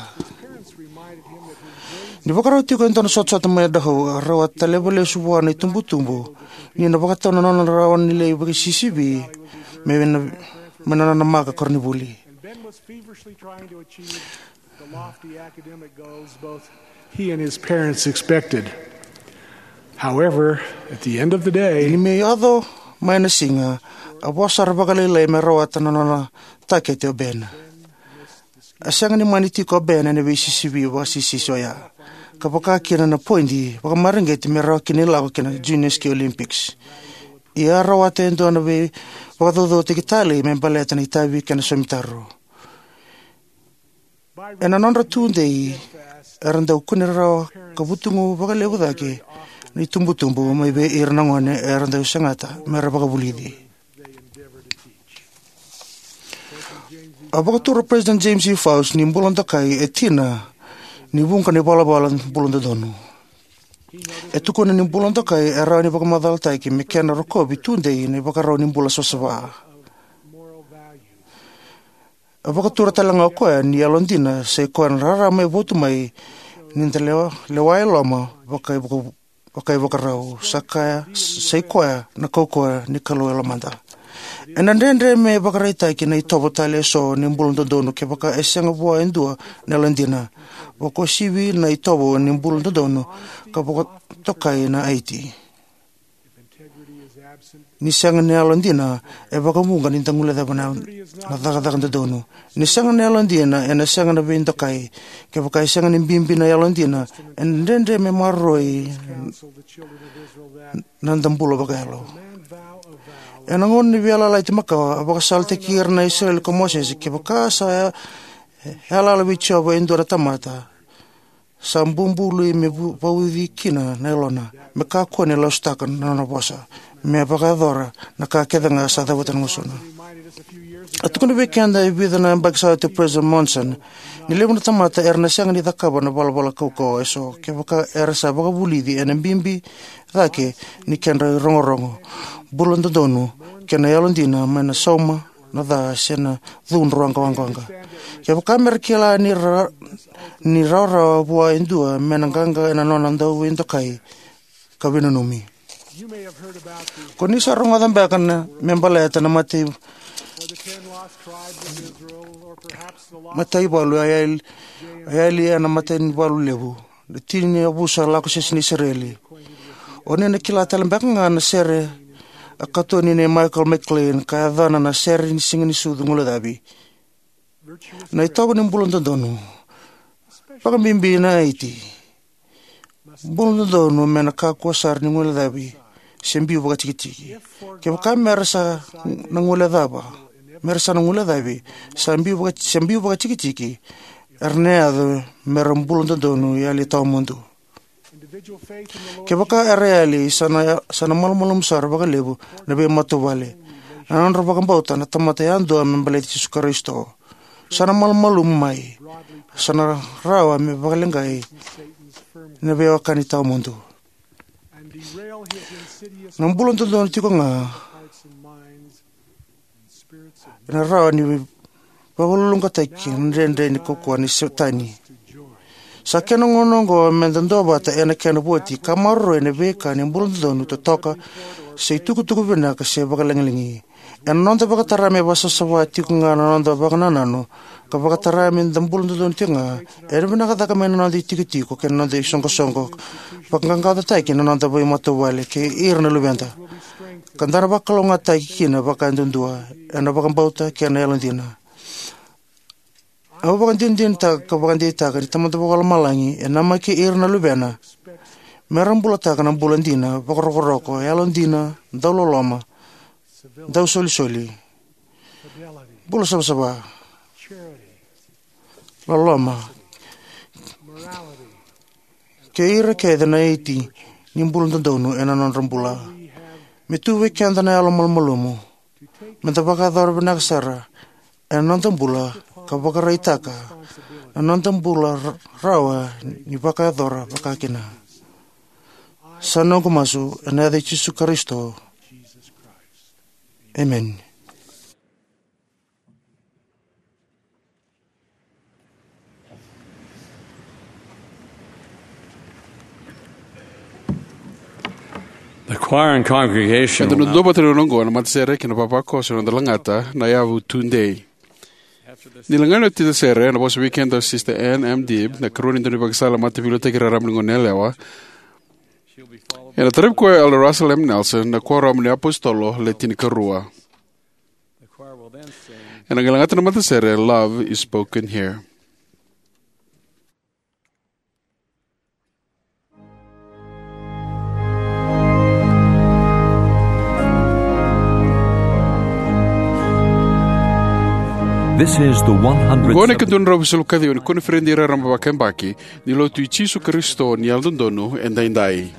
Ni vakarau tiko e dua na sotasota mai Idaho, a rau a taleva lesu vua na itubutubu ni na vakatau na nona rawa ni lai vakasisivi me na, me na nona maka koronivuli. And Ben was feverishly trying to achieve the lofty academic goals both he and his parents expected. However, at the end of the day, ni mai yaco mai na siga, a vosa sara vakalailai me rawata na nona takete o Ben. A sega ni mani tiko o Ben ena veisisivi vakasisisi oya, ka vaka kina na poidi vakamareqeti me rawa kina ni lako ki na Junior Ski Olympics. Ia a rawata e dua na veivakacaucautaki talei me baleta na itavi kei na somitaro. Ena nodra tudei, era dau kune rawa ka vutugu vakalevu cake na itubutubu mai vei ira na gone era dau segata me ra vakavulici. A vakatura o President James E. Faust ni bula dokai e tina ni vuqa na ivalavala bula dodonu. E tukuna ni bula dokai e rawa ni vakamacalataki me kena rokovi tudei na ivakarau ni bula savasava. A vakatura tale ga o koya ni yalodina sa i koya na rarama e votu mai ni da lewa, lewa e loma vakaivakarau. Sa kaya, sa i koya na kaukauwa ni Kalou e lomada. Ena dredre me vakaraitaki na itovo tale eso ni bula dodonu kevaka e sega vua e dua na yalodina. Vakosivi na itovo ni bula dodonu ka vakatokai na aiti. Ni sega na yalodina, e vakavuqa ni da guilecava na, na cakacaka dodonu. Ni sega na yalodina, ena sega na veidokai. Kevaka e sega ni bibi na yalodina, ena dredre me maroroi na noda bula vakayalo. Ena gauna ni veiyalayalati makawa, a vakasalataki ira na Isireli ko Mosese, kevaka sa ya-, yalayala vei Jiova e dua na tamata, sa bubului me vu-, vauci kina na yalona, me kakua ni lasutaka na nona vosa, me vakayacora na ka kece ga sa cavuta na gusuna. A tukuna vei keda e vica na yabaki sa oti o President Monson ni levu na tamata era na sega ni cakava na valavala kaukauwa eso kevaka era sa vakavulici ena bibi cake ni kedra irogorogo, bula dodonu, kei na yalodina mai na sauma na ca se na cudru waqawaqa. Kevaka me ra kila ni ra, ni rawarawa vua e dua, me na qaqa ena nona dau veidokai ka veinanumi. Ko ni sa rogoca beka na me baleta na matai, mataivalu a yali, a yali ena mataivalu levu, na tini na yavusa lako sese ni Isireli. O ni na kila tale beka ga na sere a katoni nei Michael McLean ka yacana na sere ni Siga ni Sucu Guilecavi. Na itovo ni bula dodonu, vakabibi na iti, bula dodonu me na kakua sara ni guilecavi se biu vakatikitiki. Kevaka me ra sa na guilecava, me ra sa na guilecavi, sa biu vaka-, se biu vakatikitiki, era na yaco me ra bula dodonu yali tawamudu. Kevaka era yali, sa na, sa na malumalumu sara vakalevu na veimatavuvale. Na nodra vakabauta na tamata yadua me baleti Jisu Karisito. Sa na malumalumu mai, sa na rawa me vakaleqai na veiwekani tawamudu. Na bula dodonu tiko ga ena rawa ni vakaluluqataki na dredre ni kaukaua ni Setani. Sa kena gauna oqo me da duavata ena kena voti ka maroroi na veika ni bula dodonu, totoka, se itukutuku vinaka se vakalagilagi. Ena noda vakatara me vakasavasava tiko ga na noda vakanananu ka vakatara me da bula dodonu tiko ga, ena vinaka cake mai na noda itikotiko kei na noda isoqosoqo, vaqaqacotaki na noda veimatavuvale kei ira na luveda, ka da na vakalougatataki kina vakaduadua ena vakabauta kei na yalodina. Au vakadinadinataka ka vakadeitaka ni Tamada Vakalomalagi e namaki ira na luvena me ra bulataka na bula dina, vakarokoroko, yalodina, dauloloma, dausolisoli, bula savasava, loloma, kei ira kece na iti ni bula dodonu ena nodra bula. Me tu vei keda na yalo malumalumu me da vakayacora vinaka sara ena noda bula ka vakaraitaka na noda bula ra-, rawa ni vakayacora vakakina. Sa noqu masu ena yaca i Jisu Karisito. Emeni. The choir and congregation. Eda na duavata na gauna oqo na matasere kei na vavakoso, na noda lagata na yavu tudei. Ni lagani oti na sere, ena vosa vei keda o Sister Ann M. Dibb, na ikarua ni daunivakasala mataveiliutaki raraba ni goneyalewa. Ena taravi koya o Elder Russell M. Nelson, na Kuoramu ni iApositolo Le Tinikarua. Ena qai lagata na matasere Love Is Spoken Here. This is the one hundredth. Oqo na ikaduadrau veisulu ka ciwa ni koniferedi raraba vakayabaki ni Lotu i Jisu Karisito ni Yalododonu Edaidai.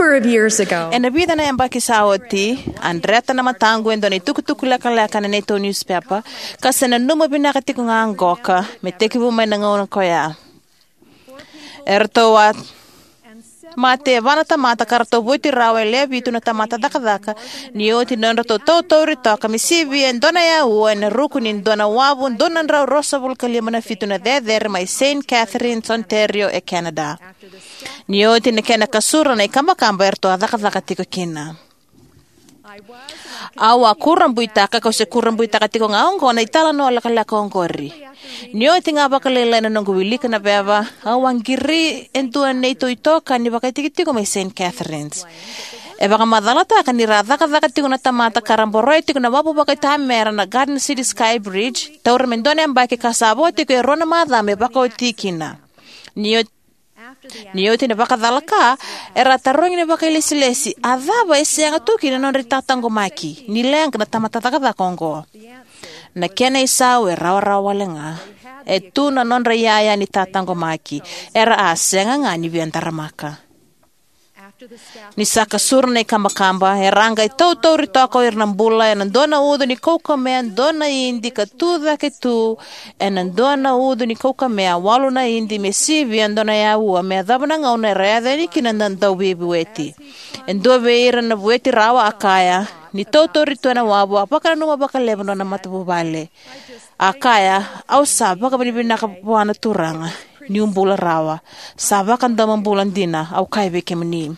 Ena vica na yabaki sa oti, a dreta na mataqu e dua na itukutuku lekaleka ena neitou niusipepa, ka se nanuma vinaka tiko ga qoka me tekivu mai na gauna ko ya. Eratou a mate e va na tamata ka ratou vueti rawa e lewe vitu na tamata cakacaka ni oti na nodratou tautauri toka me sivia e dua na yaua ena ruku ni dua na wavu dua na drau ruasagavulu ka lima na fitu na cecere mai Saint Catharines, Ontario, e Canada. Ni oti na kena kasura na ikabakaba eratou a cakacaka tiko kina. Au a kurabuitaka, kau se kurabuitaka tiko ga oqo, na italanoa lekaleka oqori. Ni oti ga vakalailai na noqu wilika na veva, au a qiri e dua na neitou itokani vakaitikotiko mai Saint Catharines. E vakamacalataka ni ra cakacaka tiko na tamata ka ra boroya tiko na wavu vakaitamera na Garden City Sky Bridge, taura me dua na yabaki ka sa vo tiko e rua na macawa me vakaoti kina. Ni oti Ni oti na vakacala ka, era a tarogi na vakailesilesi, a cava e sega tu kina na nodra itataqomaki ni leqa na tamata cakacaka oqo? Na kena isau e rawarawa wale ga. E tu na nodra iyaya ni tataqomaki, era a sega ga ni via daramaka. Ni sa kasura na ikabakaba, era a qai tautauri toka o ira na bula ena dua na ucu ni kaukamea, dua na idi ka tu cake tu ena dua na ucu ni kaukamea, walu na idi me sivia e dua na yaua, me yacova na gauna era yaco yani kina na dauveivueti. E dua vei ira na vueti rawa a kaya, ni tautauri tu ena wavu, a vakananuma vakalevu na nona matavuvale. A kaya, au sa vakavinavinaka vua na Turaga niu bula rawa. Sa vakadomobula dina, au kaya vei kemuni.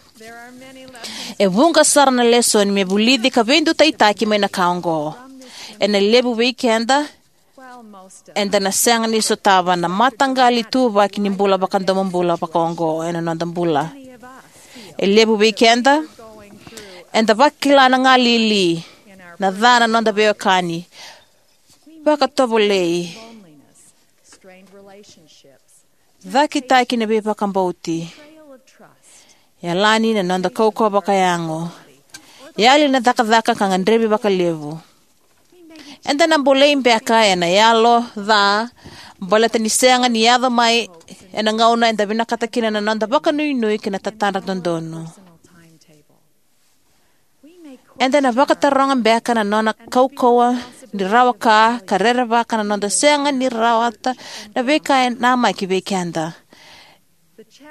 E vuqa sara na lesoni me vulici ka veidutaitaki mai na ka oqo. Ena levu vei keda, eda na sega ni sotava na mataqali ituvaki ni bula vakadomobula vakaoqo ena noda bula. E levu vei keda, eda vakila na galili, na ca na noda veiwekani, vakatovolei, cakitaki na veivakabauti, yalani na noda kaukauwa vakayago, yali na cakacaka ka gadrevi vakalevu. Eda na bolei beka ena yalo ca, baleta ni sega ni yaco mai ena gauna eda vinakata kina na noda vakanuinui kei na tatadra dodonu. Eda na vakataroga beka na nona kaukauwa ni rawa ka, ka rerevaka na noda sega ni rawata na veika e namaki vei keda.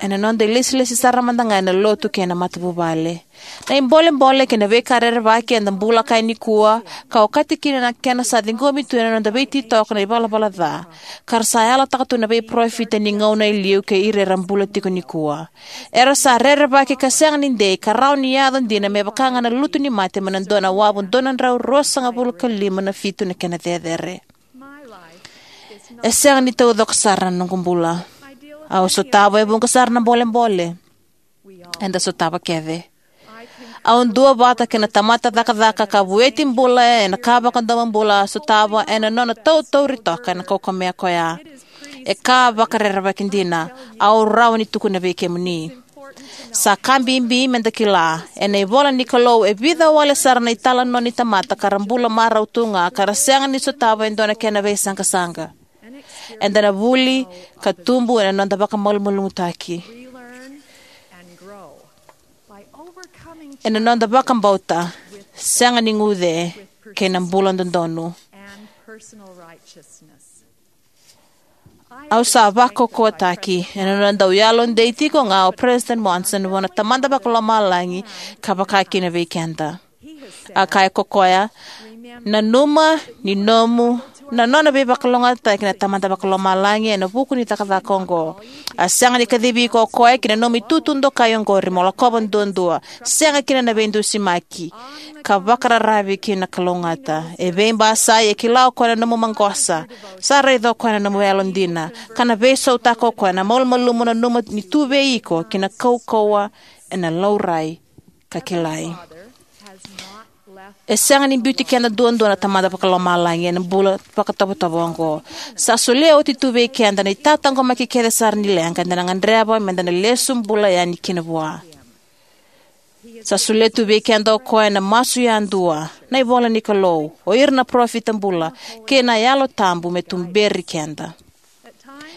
Ena noda ilesilesi sara mada ga ena lotu kei na matavuvale. Na ibolebole kei na veika rerevaki eda bula kaya nikua, ka okati kina na kena sa ciqomi tu ena noda veititoko na ivalavala ca, ka ra sa yalataka tu na veiparofita ni gauna e liu kei ira era bula tiko nikua. Era sa rerevaki ka sega ni dei, ka rawa ni yaco dina me vaka ga na lutu ni mate mai na dua na wavu dua na drau ruasagavulu ka lima na fitu na kena cecere. E sega ni taucoko sara na noqu bula. Au sotava e vuqa sara na bolebole. Eda sotava kece. Au duavata kei na tamata cakacaka ka vueti bula ena ka vakadomobula, a sotava ena nona tautauri toka ena kaukamea koya. E ka vakarerevaki dina, au rawa ni tukuna vei kemuni. Sa ka bibi meda kila, ena ivola ni Kalou e vica wale sara na italanoa ni tamata ka ra bula marau tu ga ka ra sega ni sotava e dua na kena veisaqasaqa. Eda na vuli ka tubu ena noda vakamalumalumutaki, ena noda vakabauta, sega ni guce, kei na bula dodonu. Au sa vakaukauwataki ena nona dau yalodei tiko ga o President Monson vua na Tamada Vakalomalagi ka vaka kina vei keda. A kaya ko koya, nanuma ni nomu na nona veivakalougatataki na Tamada Vakalomalagi ena vuku ni cakacaka oqo. A sega ni kacivi iko o koya ki na nomu itutu dokai oqori mo lakova duadua, sega kina na veidusimaki, ka vakararavi ki na kalougata. E veibasai e kila o koya na nomu maqosa, sa raica o koya na nomu yalodina, ka na veisautaka o koya na malumalumu nanuma ni tu vei iko ki na kaukauwa ena laurai ka kilai. E sega ni biuti keda duadua na Tamada Vakalomalagi ena bula vakatovotovo oqo. Sa solia oti tu vei keda na itataqomaki kece sara ni leqa eda na gadreva meda na lesu bula yani kina vua. Sa solia tu vei keda o koya na masu yadua, na ivola ni Kalou, o ira na parofita bula, kei na Yalo Tabu me tuberi keda.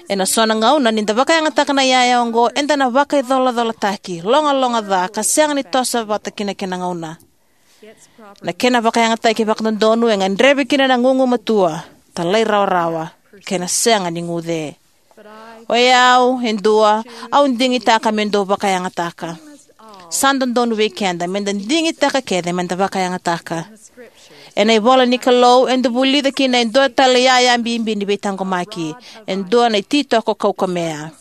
Ena so na gauna, ni da vakayagataka na iyaya oqo, eda na vakaicolacolataki, logaloga ca, ka sega ni toso vata kina kena gauna. Na kena vakayagataki vakadodonu e gadrevi kina na gugumatua, talairawarawa, kei na sega ni guce. O yau, e dua, au digitaka me dou vakayagataka. Sa dodonu vei keda me da digitaka kece me da vakayagataka. Ena ivola ni Kalou, eda vulica kina e dua tale iyaya bibi ni veitaqomaki, e dua na ititoko kaukamea.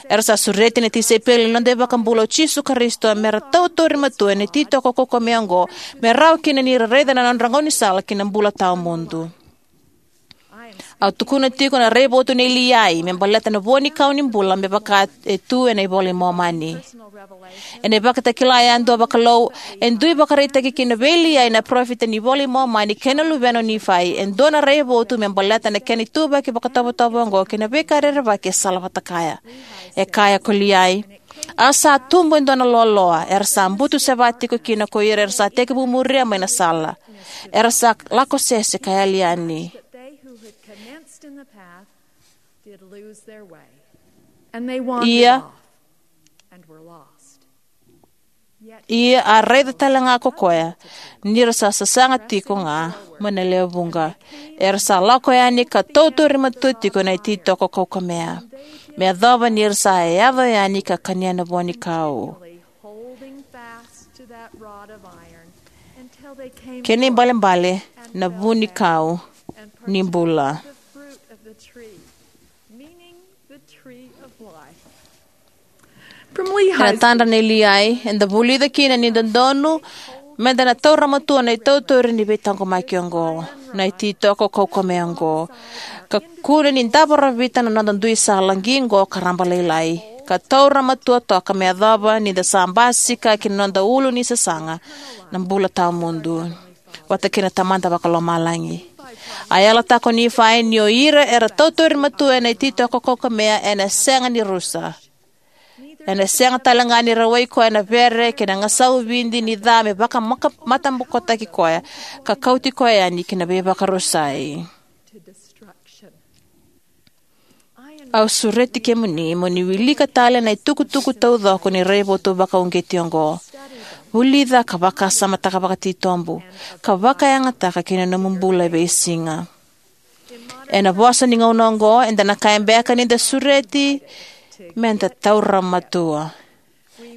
Era sa sureti na tisaipeli ni noda iVakabula o Jisu Karisito me ra tautauri matua ena ititoko kaukamea oqo, me rawa kina ni ra raica na nodra gaunisala ki na bula tawamudu. Au tukuna tiko na raivotu nei Liai me baleta na vuanikau ni bula me vaka e tu ena iVola i Momani. Ena iVakatakila yadua vakalou, e dui vakaraitaki kina vei Liai na parofita ni iVola i Momani kei na luvena o Nifai e dua na raivotu me baleta na kena ituvaki vakatovotovo oqo kei na veika rerevaki e sala vata kaya. E kaya ko Liai, a sa tubu e dua na loaloa, era sa butu seva tiko kina ko ira era sa tekivu muria mai na sala. Era sa lako sese ka yali yani. That they who had commenced in the path did lose their way. And they wandered Ia, off and were lost. Yet ia a raica tale ga ko koya, ni ra sa sasaga tiko ga mai na lewe vuqa. Era sa lako yani ka tautauri matua tiko na ititoko kaukamea. Me yacova ni ra sa yaco yani ka kania na vuanikau. Holding fast to that rod of iron until they came Kena ibalebale na vunikau ni bula. The fruit of the tree, meaning the tree of life. From Lehi's Ena tadra nei Liai, eda vulica kina ni dodonu me da na taura matua na itautauri ni veitaqomaki oqo, na ititoko kaukamea oqo, ka kune ni davo ravita na noda dui sala qiqo ka raba lailai, ka taura matua toka me yacova ni da sa basika ki na noda ulu ni sasaga, na bula tawamudu vata kei na Tamada Vakalomalagi. A yalataka o Nifai ni o ira era tautauri matua ena ititoko kaukamea ena sega ni rusa. Ena sega tale ga ni rawai koya na vere kei na gasau vidi ni ca me vakamatabokotaki koya, ka kauti koya yani ki na veivakarusai. Au sureti kemuni mo ni wilika tale na itukutuku taucoko ni raivotu vakauqeti oqo. Vulica ka vakasamataka vakatitobu, ka vakayagataka ki na nomu bula e veisiga. Ena vosa ni gauna oqo, eda na kaya beka ni da sureti me da taura matua.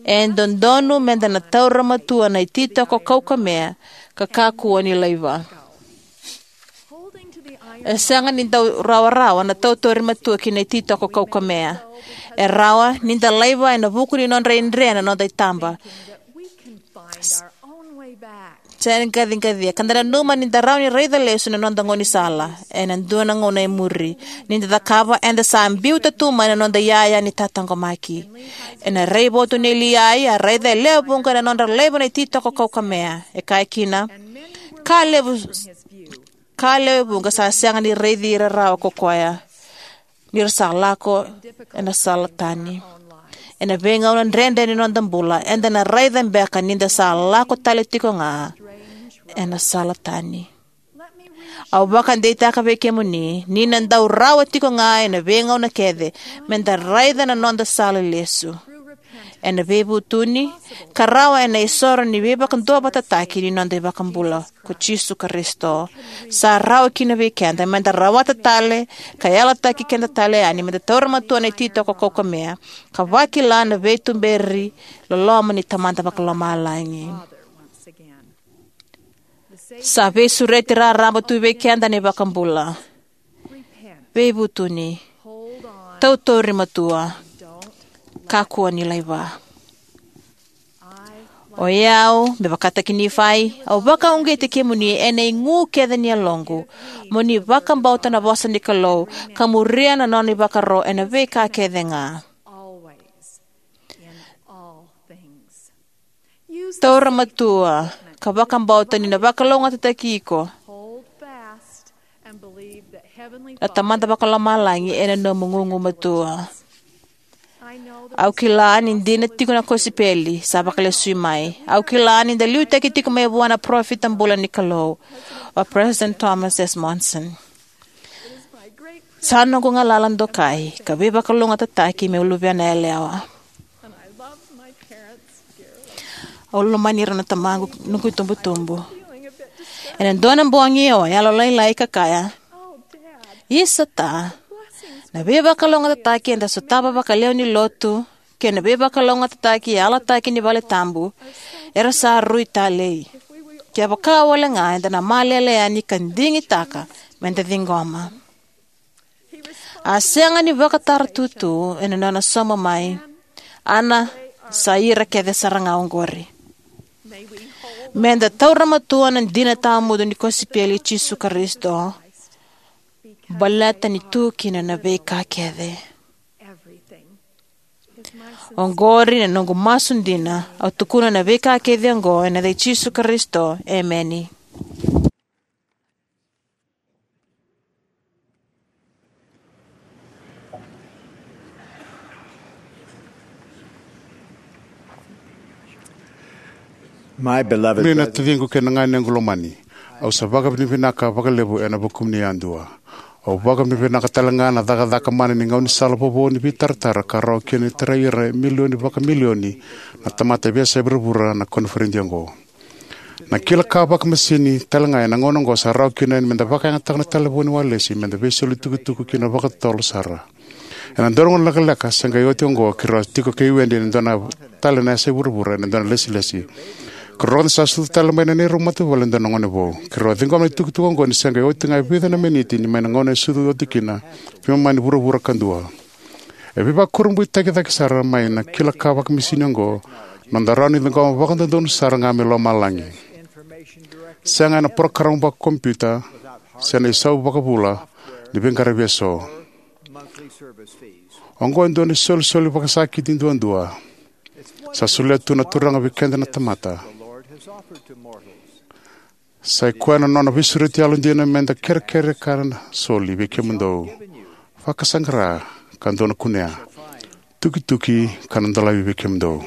E dodonu me da na taura matua na ititoko kaukamea, ka kakua ni laiva. E sega ni dau rawarawa na tautauri matua ki na ititoko kaukamea. E rawa ni da laiva ena vuku ni nodra idre na noda itaba. Sega ni qaciqacia ka da nanuma ni da rawa ni raica lesu na noda gaunisala ena dua na gauna e muri. Ni da cakava, eda sa biuta tu mai na noda iyaya ni tataqomaki. Ena raivotu nei Liai, a raica e lewe vuqa na nodra laiva na ititoko kaukamea. E kaya kina, ka levu, ka lewe vuqa sa sega ni raici ira rawa ko koya, ni ra sa lako ena sala tani. Ena veigauna dredre ni noda bula, eda na raica beka ni da sa lako tale tiko ga ena sala tani. Au vakadeitaka vei kemuni ni na dau rawa tiko ga ena veigauna kece me da raica na noda sala lesu. Ena veivutuni, ka rawa ena isoro ni veivakaduavatataki ni noda iVakabula ko Jisu Karisito. Sa rawa kina vei keda me da rawata tale ka yalataki keda tale yani me da taura matua na ititoko kaukamea, ka vakila na veituberi loloma ni Tamada Vakalomalagi. Sa veisureti raraba tu vei keda na iVakabula. Veivutuni, tautauri matua, kakua ni laiva. O yau, me vakataki Nifai, au vakauqeti kemuni ena igu kece ni yaloqu, mo ni vakabauta na vosa ni Kalou, ka muria na nona ivakaro ena veika kece ga. Taura matua ka vakabauta ni na vakalougatataki iko na Tamada Vakalomalagi ena nomu gugumatua. Au kila ni dina tiko na kosipeli sa vakalesui mai. Au kila ni da liutaki tiko mai vua na parofita bula ni Kalou, o President Thomas S. Monson. Sa noqu galala dokai ka veivakalougatataki meu luvena yalewa. Au lomani ira na tamaqu, noqu itubutubu. Ena dua na bogi au a yalolailai ka kaya, "Isa ta, na veivakalougatataki eda sotava vakalewe ni lotu kei na veivakalougatataki e yalataki ni valetabu era sa rui talei. Kevaka wale ga eda na malele yani ka digitaka meda ciqoma." A sega ni vakataratutu ena nona sauma mai, "Ana, sa ira kece sara ga oqori." Meda taura matua na dina tawamudu ni kosipeli i Jisu Karisito, baleta ni tu kina na veika kece. Oqori na noqu masu dina, au tukuna na veika kece oqo ena yaca i Jisu Karisito, emeni. My beloved Ni na brethren, taciqu kei na ganequ lomani, au sa vakavinavinaka vakalevu ena vukumuni yadua. Au vakavinavinaka tale ga na cakacaka mana ni gaunisala vovou ni veitaratara ka rawa kina ni tarai ira e milioni vakamilioni na tamata e veiyasai vuravura na koniferedi oqo. Na kila ka vakamasini tale ga ena gauna oqo sa rawa kina ni meda vakayagataka na talevoni walesi meda veisoli tukutuku kina vakatotolo sara. Ena dua na gauna lekaleka se qai oti oqo, keirau a tiko kei Wendy ena dua na tale na yasai vuravura ena dua na lesilesi. Keirau rogoca sa sucu tale mai na neirau matavuvale e dua na gone vou. Keirau a ciqoma na itukutuku oqo ni se qai oti ga e vica na miniti ni mai na gauna e sucu oti kina, veimama ni vuravura kadua. E veivakurabuitaki cake sara mai na kila ka vakamasini oqo, noda rawa ni ciqoma vakadodonu sara ga mai lomalagi. Sega ena parokaramu vakakompiuta se na isau vakavula ni veiqaravi eso. Oqo e dua na isolisoli vakasakiti duadua sa solia tu na Turaga vei keda na tamata. Sa i koya na nona veisureti yalodina meda kerekere ka na soli vei kemudou. Vakasaqara ka dou na kunea. Tukituki ka na dolavi vei kemudou.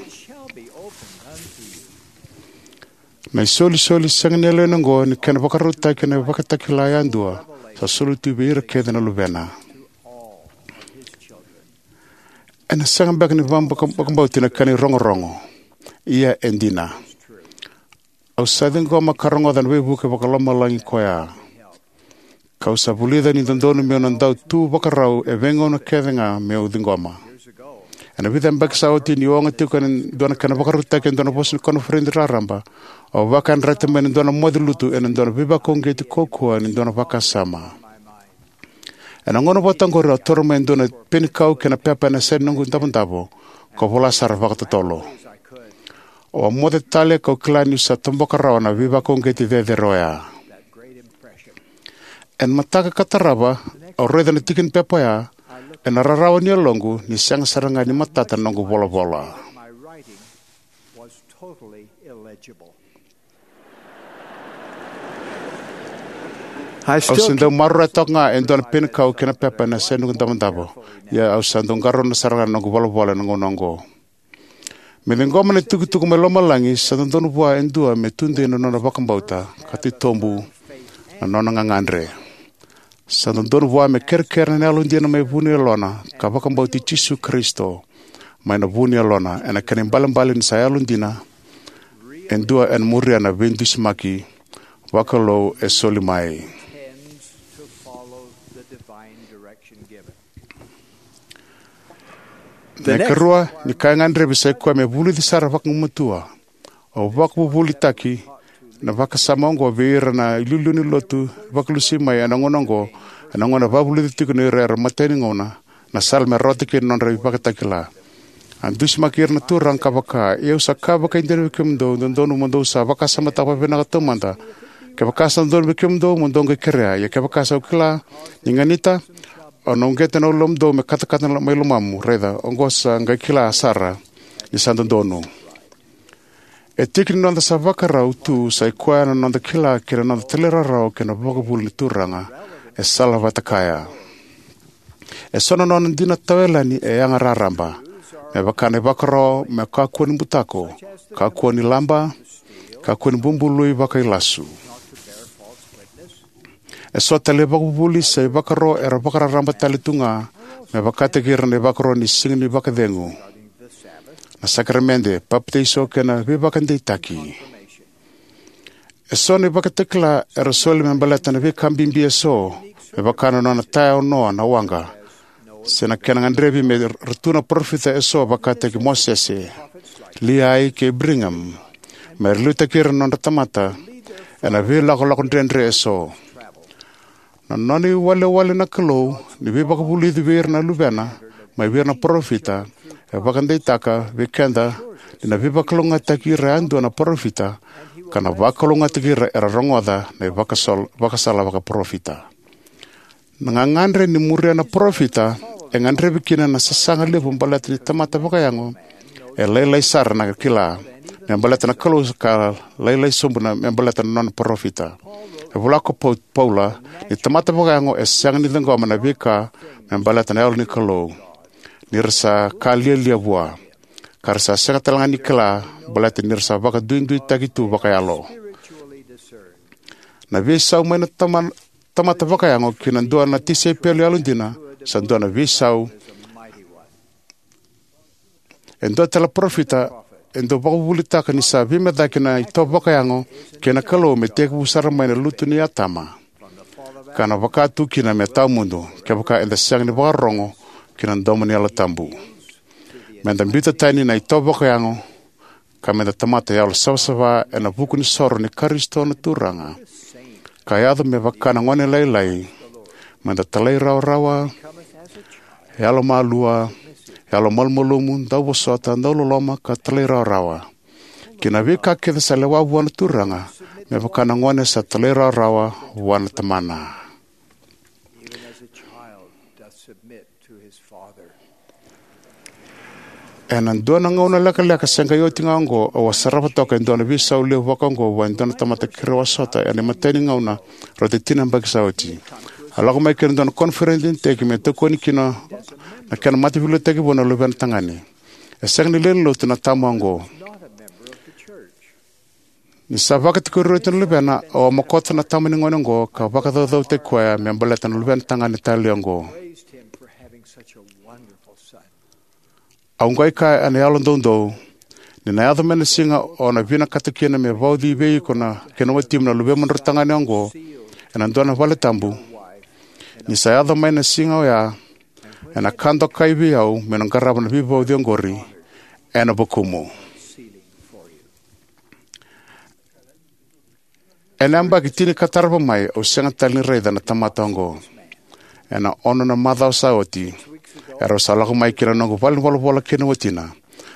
Na isolisoli sega ni yaloi na oqo ni kena vakarautaki ena ivakatakila yadua sa soli tu vei ira kece na luvena. Ena sega beka ni vakabauti na kena irogorogo. Ia e dina. Au sa ciqoma ka rogoca na veivuke vakalomalagi koya. Kau sa vulica ni dodonu meu na dau tu vakarau e veigauna kece ga meu ciqoma. Ena vica yabaki sa oti niu oga tiko ena dua na kena vakarautaki e dua na vosa ni koniferedi raraba, au vakayadrati mai ena dua na moce lutu ena dua na veivakauqeti kaukaua ni dua na vakasama. Ena gauna vata oqori au taura mai e dua na penikau kei na pepa ena yasai noqu davodavo, kau vola sara vakatotolo. Au a moce tale kau kila niu sa toboka rawa na veivakauqeti cecere oya. Ena mataka ka tarava, au raica na tiki ni pepa oya, ena rarawa ni yaloqu ni sega sara ga ni matata na noqu volavola. Au se dau maroroya toka ga e dua na penikau kei na pepa ena yasai noqu davodavo. Ia au sa dau qarauna sara ga na noqu volavola ena gauna oqo. Me ciqoma na itukutuku mai lomalagi sa dodonu vua e dua me tudei na nona vakabauta ka titobu na nona gagadre. Sa dodonu vua me kerekere na yalodina mai vu ni yalona ka vakabauti Jisu Karisito mai na vu ni yalona ena kena ibalebale ni sa yalodina e dua ena muria na veidusimaki vakalou e soli mai. Na ikarua ni ka e gadrevi sa i koya me vulici sara vakagumatua. Au vakavuvulitaki na vakasama oqo vei ira na iliuliu ni lotu vakalusi mai ena gauna oqo, ena gauna e vakavulici tiko ni ira era matai ni gauna na sala me rawata kina na nodra ivakatakila. A dusimaki ira na Turaga ka vaka, ia au sa kaya vakaidina vei kemudou, dodonu mo dou sa vakasamataka vakavinaka taumada. Kevaka sa dodonu vei kemudou mo dou qai kerea, ia kevaka sa kila ni ganita, au na uqeta na ulumudou me katakata mai lomamu, raica, oqo sa qai kila sara ni sa dodonu. E tiki ni noda sa vakarau tu sa i koya na noda kila kei na noda talairawarawa kei na vakavuvuli ni Turaga e salavata kaya. E so na nona dina tawayalani e yaga raraba, me vaka na ivakaro me kakua ni butako, kakua ni laba, kakua ni bubului vakailasu. E so tale na ivakavuvuli se ivakaro era vakararaba tale tu ga, me vakataki ira na ivakaro ni Siga ni Vakacegu, na sakaramede, papitaiso kei na veivakadeitaki. E so na ivakatakila era soli me baleta na veika bibi e so, me vaka na nona taya o Noa na waqa, se na kena gadrevi me ra tu na parofita e so vakataki Mosese, Liai kei Brigham, me ra liutaki ira na nodra tamata ena veilakolako dredre e so. Na nona iwalewale na Kalou ni veivakavulici vei ira na luvena mai vei ira na parofita e vakadeitaka vei keda ni na veivakalougatataki ira yadua na parofita, ka na vakalougatataki ira era rogoca na ivakasol- vakasala vakaparofita. Na gagadre ni muria na parofita e gadrevi kina na sasaga levu baleta ni tamata vakayago e lailai sara na kila me baleta na Kalou ka lailai sobu na me baleta na nona parofita. E vola ko Pau- Paula ni tamata vakayago e sega ni ciqoma na veika me baleta na Yalo ni Kalou, ni ra sa ka lialia vua, ka ra sa sega tale ga ni kila baleta ni ra sa vakaduiduitaki tu vakayalo. Na veisau mai na tama- tamata vakayago ki na dua na tisaipeli yalodina sa dua na veisau e dua tale na parofita e dau vakavuvulitaka ni sa veimecaki na itovo vakayago kei na Kalou me tekivu sara mai na lutu nei Atama, ka na vaka tu kina me tawamudu kevaka eda sega ni vakarorogo ki na domo ni Yalo Tabu. Meda biuta tani na itovo vakayago ka meda tamata yalo savasava ena vuku ni soro ni Karisito na Turaga, ka yaco me vaka na gone lailai, meda talairawarawa, yalomalua, yalomalumalumu, dauvosota, dauloloma, ka talairawarawa ki na veika kece sa lewa vua na Turaga, me vaka na gone sa talairawarawa vua na tamana. Ena dua na gauna lekaleka se qai oti ga oqo, au a sarava toka e dua na veisau levu vakaoqo vua e dua na tamata keirau a sota ena imatai ni gauna rauta ni tini na yabaki sa oti. A lako mai ki na dua na koniferedi ni iteki me tokoni kina na kena mataveiliutaki vou na luvena tagane. E sega ni lewe ni lotu na tama oqo. Ni sa vakatikori oti na luvena, au a mokota na tama ni gone oqo ka vakacaucautaki koya me baleta na luvena tagane talei oqo. Au qai kaya ena yalodoudou, ni na yaco mai na siga o na vinakata kina me vauci vei iko na kena watimu na luvemudrau tagane oqo ena dua na valetabu, ni sa yaco mai na siga oya, ena ka dokai vei au meu na qarava na veivauci oqori ena vukumu. Ena yabaki tini ka tarava mai, au sega tale ni raica na tamata oqo. Ena ono na macawa sa oti, erau sa lako mai ki na noqu valenivolavola kei na watina.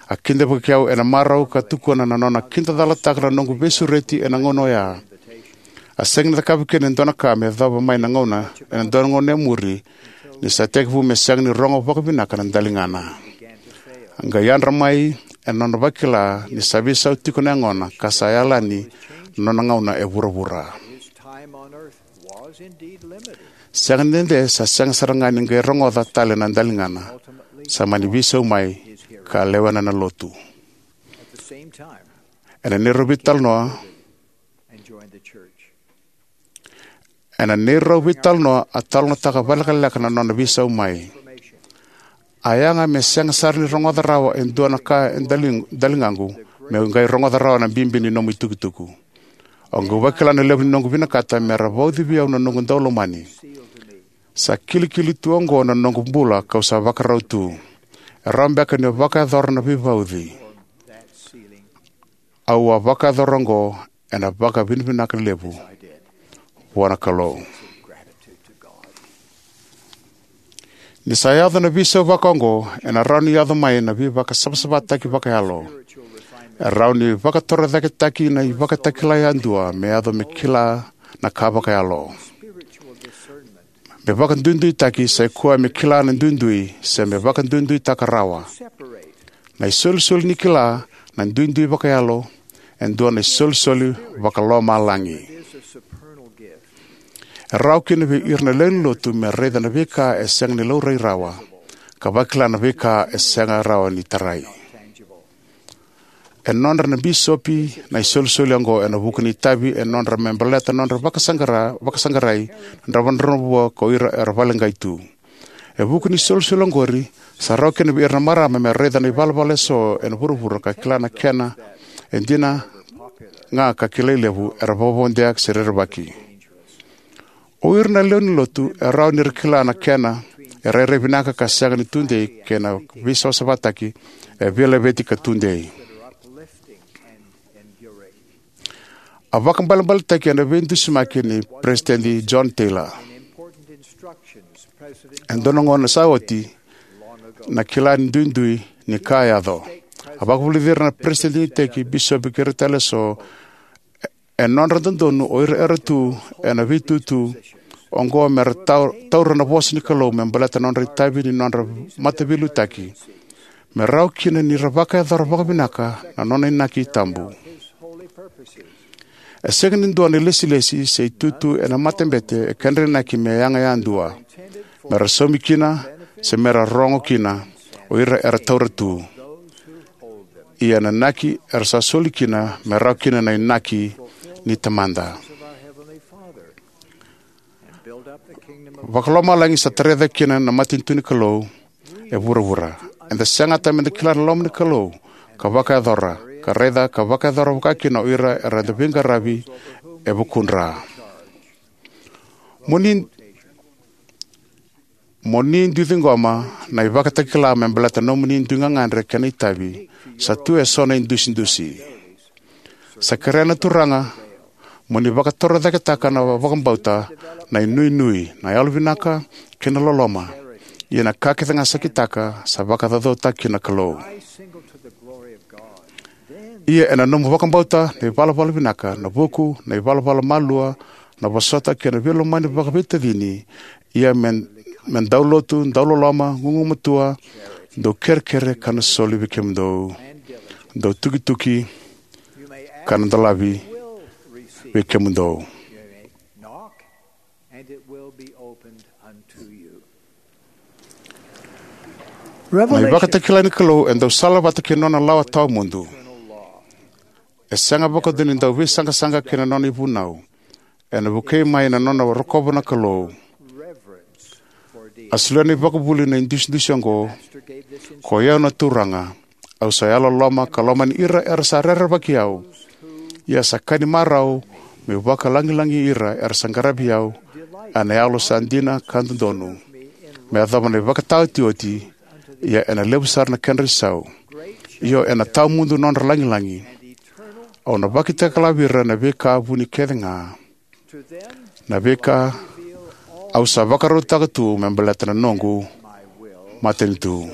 A kidavaki au ena marau ka tukuna na nona kidacalataka na noqu veisureti ena gauna oya. A sega ni cakava kina e dua na ka me yacova mai na gauna ena dua na gauna e muri, ni sa tekivu me sega ni rogo vakavinaka na daligana. A qai yadra mai ena nona vakila ni sa veisau tiko na yagona ka sa yalani na nona gauna e vuravura. Sega ni dede sa sega sara ga ni qai rogoca tale na daligana, sa mani veisau mai ka lewena na lotu. Ena neirau veitalanoa, ena neirau veitalanoa a talanoataka vakalekaleka na nona veisau mai. A yaga me sega sara ni rogoca rawa e dua na ka e dali- daligaqu, meu qai rogoca rawa na bibi ni nomu itukutuku. Au qai vakila na levu ni noqu vinakata me ra vauci vei au na noqu daulomani. Sa kilikili tu oqo na noqu bula kau sa vakarau tu. E rawa beka niu vakayacora na veivauci. Au a vakayacora oqo ena vakavinavinaka levu vua na Kalou. Ni sa yaco na veisau vakaoqo, ena rawa ni yaco mai na veivakasavasavataki vakayalo. E rawa ni vakatorocaketaki na ivakatakila yadua me yaco me kila na ka vakayalo. Me vakaduiduitaki sai koya me kila na duidui se me vakaduiduitaka rawa. Na isolisoli ni kila na duidui vakayalo e dua na isolisoli vakalomalagi. E rawa kina vei ira na lewe ni lotu me raica na veika e sega ni laurai rawa, ka vakila na veika e sega rawa ni tarai. E nodra na bisopi na isolisoli oqo ena vuku ni itavi e nodra me baleta nodra vakasaqara, vakasaqarai na dravudravua ko ira era vakaleqai tu. E vuku ni isolisoli oqori, sa rawa kina vei ira na marama me raica na ivalavala eso ena vuravura ka kila na kena e dina ga ka kilai levu, era vakavakavodea se rerevaki. O ira na lewe ni lotu e rawa ni ra kila na kena e rairai vinaka ka sega ni tudei kei na veisavasavataki e veilaveti ka tudei. A vakaibalebaletaki ena veidusimaki nei Peresitedi John Taylor. E dua na gauna sa oti, na kila ni duidui ni ka a yaco. A vakavulici ira na peresitedi ni iteki, bisopi kei ira tale eso, e nodra dodonu o ira era tu ena veitutu oqo me ra tau-, taura na vosa ni Kalou me baleta na nodra itavi ni nodra mataveiliutaki, me rawa kina ni ra vakayacora vakavinaka na nona inaki tabu. E sega ni dua na ilesilesi se itutu ena matabete e kedra inaki me yaga yadua, me ra saumi kina, se me ra rogo kina o ira era taura tu. Ia na inaki era sa soli kina me rawa kina na inaki ni Tamada. Vakalomalagi sa tarai cake kina na matanitu ni Kalou e vuravura. Eda segata meda kila na loma ni Kalou ka vakayacora, ka raica ka vakayacora vaka kina o ira era da veiqaravi e vukudra. Mo ni, mo ni dui ciqoma na ivakatakila me baleta nomuni dui gagadre kei na itavi, sa tu eso na idusidusi. Sa kerea na Turaga mo ni vakatorocaketaka na vakabauta, na inuinui, na yalovinaka kei na loloma. Ia na ka kece ga sa kitaka sa vakacaucautaki na Kalou. Ia ena nomu vakabauta na ivalavala vinaka, na vuku, na ivalavala malua, na vosota kei na veilomani vakaveitacini, ia me, me dau lotu, dau loloma, gugumatua, dau kerekere ka na soli vei kemudou, dau tukituki ka na dolavi vei kemudou. Na ivakatakila ni Kalou e dau salavata kei na nona lawa tawamudu. E sega vakadua ni dau veisaqasaqa kei na nona ivunau. Ena vukei mai na nona rokova na Kalou. A solia na ivakavuvuli na idusidusi oqo: Koi au na Turaga, au sa yalololoma ka lomani ira era sa rerevaki au. Ia sa ka ni marau meu vakalagilagi ira era sa qaravi au ena yalo sa dina ka dodonu, me yacova na ivakataotioti, ia ena levu sara na kedra isau. Io, ena tawamudu nodra lagilagi. Au na vakatakila vei ira na veika vuni kece ga, na veika au sa vakarautaka tu me baleta na noqu matanitu.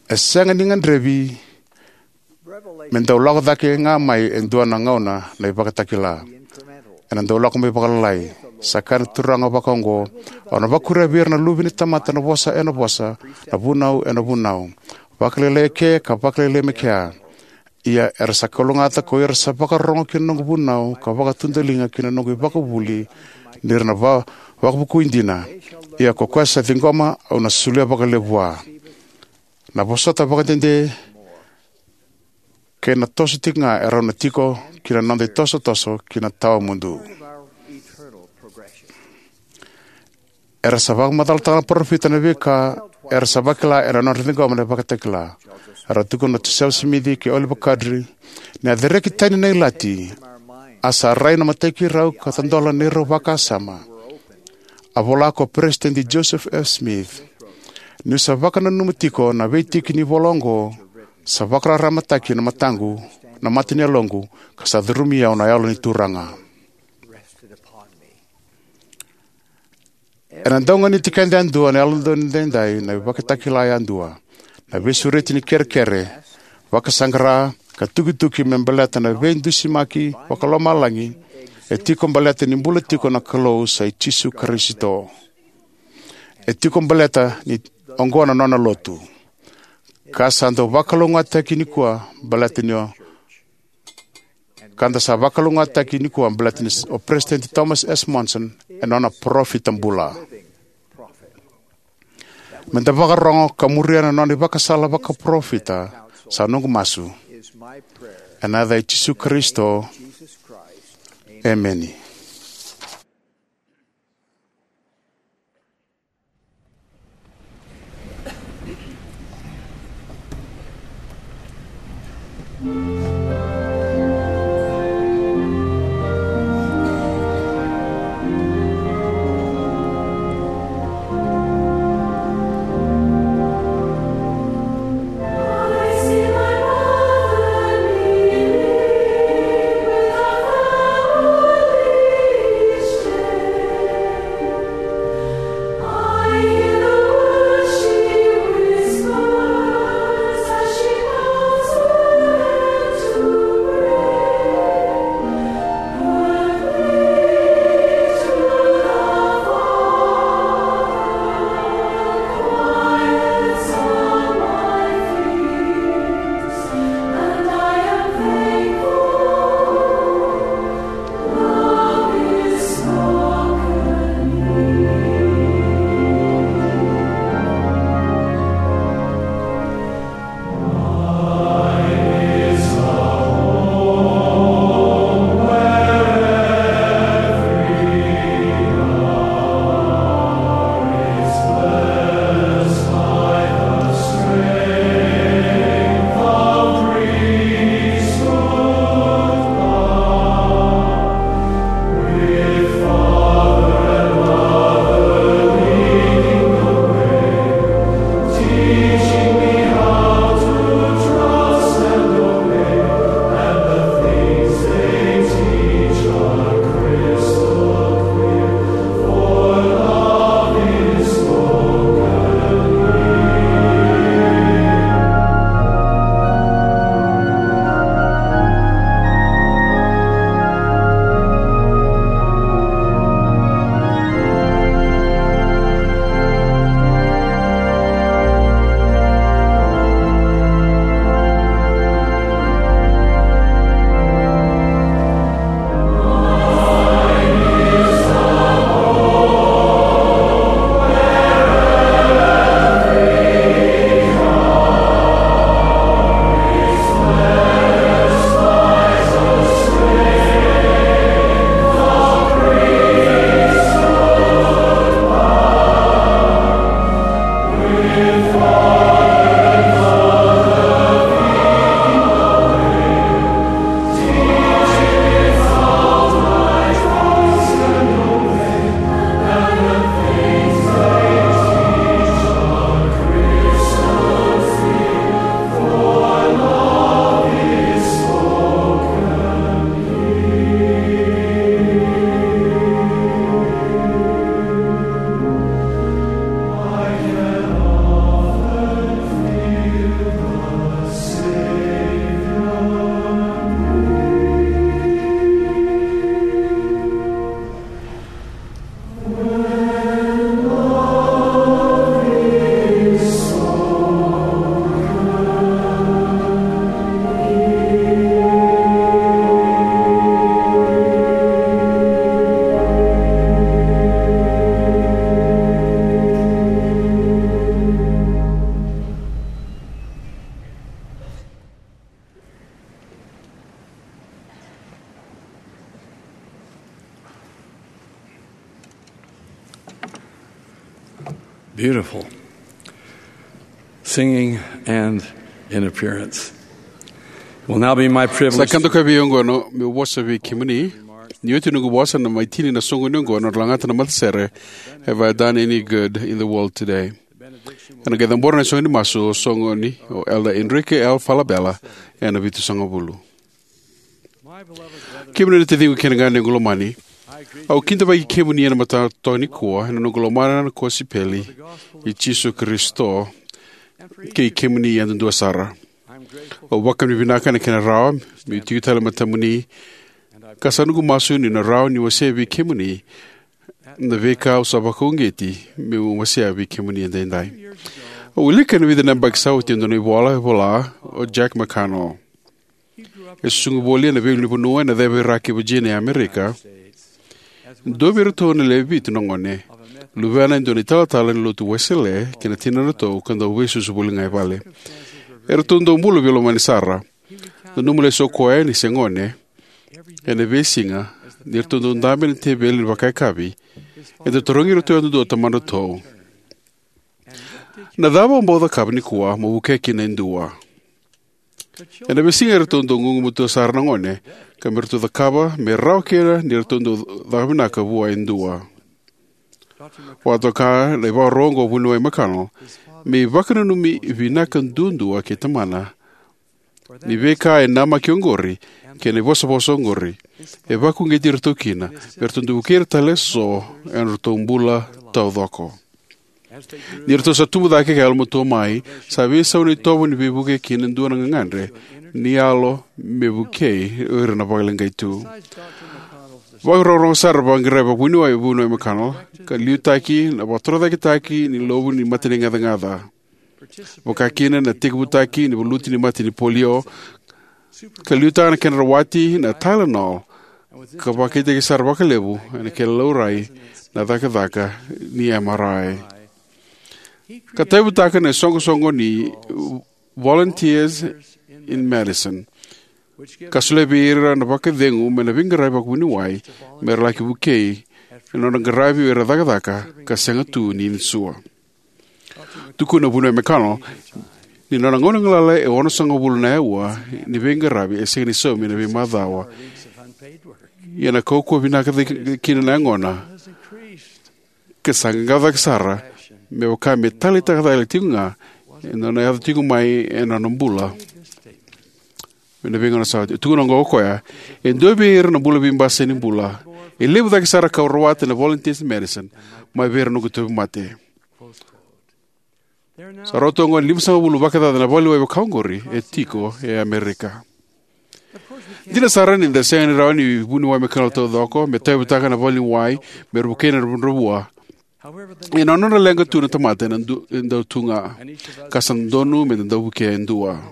E sega ni gadrevi me dau lako cake ga mai e dua na gauna na ivakatakila. Ena dau lako mai vakalalai. Sa kaya na Turaga vakaoqo: Au na vakuria vei ira na luve ni tamata na vosa ena vosa, na vunau ena vunau, vakalailai eke ka vakalailai mai kea. Ia era sa kalougata ko ira sa vakarorogo ki na noqu vunau ka vakatudaliga ki na noqu ivakavuvuli, ni ra na va-, vakavukui dina. Ia ko koya sa ciqoma, au na solia vakalevu vua. Na vosota vakadede kei na toso tiko ga e rawa ni tiko ki na noda itosotoso ki na tawamudu. Era sa vakamacalataka na parofita na veika era sa vakila ena nodra ciqoma na ivakatakila. Era tukuna o Josefa Simici kei Oliver Cowdery ni a cereki tani na ilati, a sa rai na mataki rau ka tadola neirau vakasama. A vola ko Peresitedi Joseph F. Smith: Niu sa vakananuma tiko na veitiki ni ivola oqo, sa vakararamataki na mataqu, na mata ni yaloqu, ka sa curumi au na Yalo ni Turaga. Ena dau ganiti keda yadua na Yalododonu Edaidai na ivakatakila yadua, na veisureti ni kerekere, vakasaqara, ka tukituki me baleta na veidusimaki vakalomalagi e tiko baleta ni bula tiko na Kalou sa i Jisu Karisito. E tiko baleta ni oqo na nona lotu. Ka sa dau vakalougatataki nikua baleta ni o ka da sa vakalougatataki nikua baleta ni o Peresitedi Thomas S. Monson e nona parofita bula. Me da vakarorogo ka muria na nona ivakasala vakaparofita sa noqu masu. Ena yaca i Jisu Karisito, emeni. Beautiful. Singing and in appearance. Will now be my privilege. Sa ka dokai vei au oqo meu vosa vei kemuni. Ni oti noqu vosa, na mai tini na soqoni oqo na nodra lagata na matasere, Have I Done Any Good in the World Today? Ena qai cabora na soqoni masu o soqoni o Elder Enrique L. Falabella ena vitusagavulu. Kemuni na taciqu kei na ganequ lomani, au kidavaki kemuni ena mataka nikua ena noqu lomana na kosipeli i Jisu Karisito kei kemuni yadudua sara. Au vakavinavinaka ena kena rawa meu tiko tale e matamuni, ka sa noqu masu niu na rawa ni wasea vei kemuni na veika au sa vakauqeti meu wasea vei kemuni edaidai. Au wilika ena vica na yabaki sa oti e dua na ivola e vola o Jack McConnell. E susugi voli ena veiulunivanua ena ceva i Iraki e Virginia e Amerika. Dua vei iratou na lewe vitu na gone luvena e dua na italatala ni lotu Wesele kei na tinana ratou ka dau veisusu voli ga e vale. Eratou dau bula veilomani sara. Nanuma lesu o koya ni se gone, ena veisiga ni ratou dau dabe ena teveli ni vakayakavi, e dau tarogi iratou yadudua o tamadratou, "Na cava o bau cakava nikua mo vukea kina e dua?" Ena veisiga eratou dau gugumatua sara na gone ka me ratou cakava me rawa kina ni ratou dau caka vinaka vua e dua. Vakatoka na ivakaro oqo o Vuniwai McConnell, me ivakananumi vinaka duadua kei tamana ni veika e namaki oqori kei na ivosavosa oqori e vakauqeti iratou kina me ratou dau vukei ira tale eso ena nodratou bula taucoko. Ni ratou sa tubu cake ka yalomatua mai, sa veisau na itovo ni veivuke kina dua na gagadre ni yalo me vukei o ira na vakaleqai tu. Vakarorogo sara vakaqirai vakavuniwai o Vuniwai McConnell, ka liutaki na vakatorocaketaki ni lovu ni mate ni gacagaca, vaka kina na tekivutaki ni valuti ni mate ni polio, ka liutaka na kena rawati na Tylenol, ka vakaitaki sara vakalevu ena kena laurai na cakacaka ni M R I. Ka tauyavutaka na isoqosoqo ni Volunteers in Medicine, ka solia vei ira na vakacegu mai na veiqaravi vakavuniwai me ra laki vukei ena nodra qaravi o ira na cakacaka ka sega tu ni insua. Tukuna o Vuniwai McConnell ni nona gauna galala e onosagavulu na aua ni veiqaravi e sega ni saumi ena veimacawa, ia na kaukauwa vinaka cake kina na yagona, ka sa qaqaco cake sara me vaka me taleitaka cake tiko ga ena nona yaco tiko mai ena nona bula. Ena veigauna sa oti, e tukuna oqo o koya, "E dua vei ira na bula veibasai ni bula. E levu cake sara kau rawata ena volunteers medicine mai vei ira na noqu tauvimate." Sa rauta oqo ni limasagavulu vakacaca na valeniwai vaka oqori e tiko e Amerika. Dina sara ni da sega ni rawa ni vuniwai me kena taucoko me tauyavutaka na valeniwai me ra vukei na dravudravua. Ia na nodra leqa tu na tamata ena du- e dau tu ga, ka sa dodonu me da dau vukea e dua.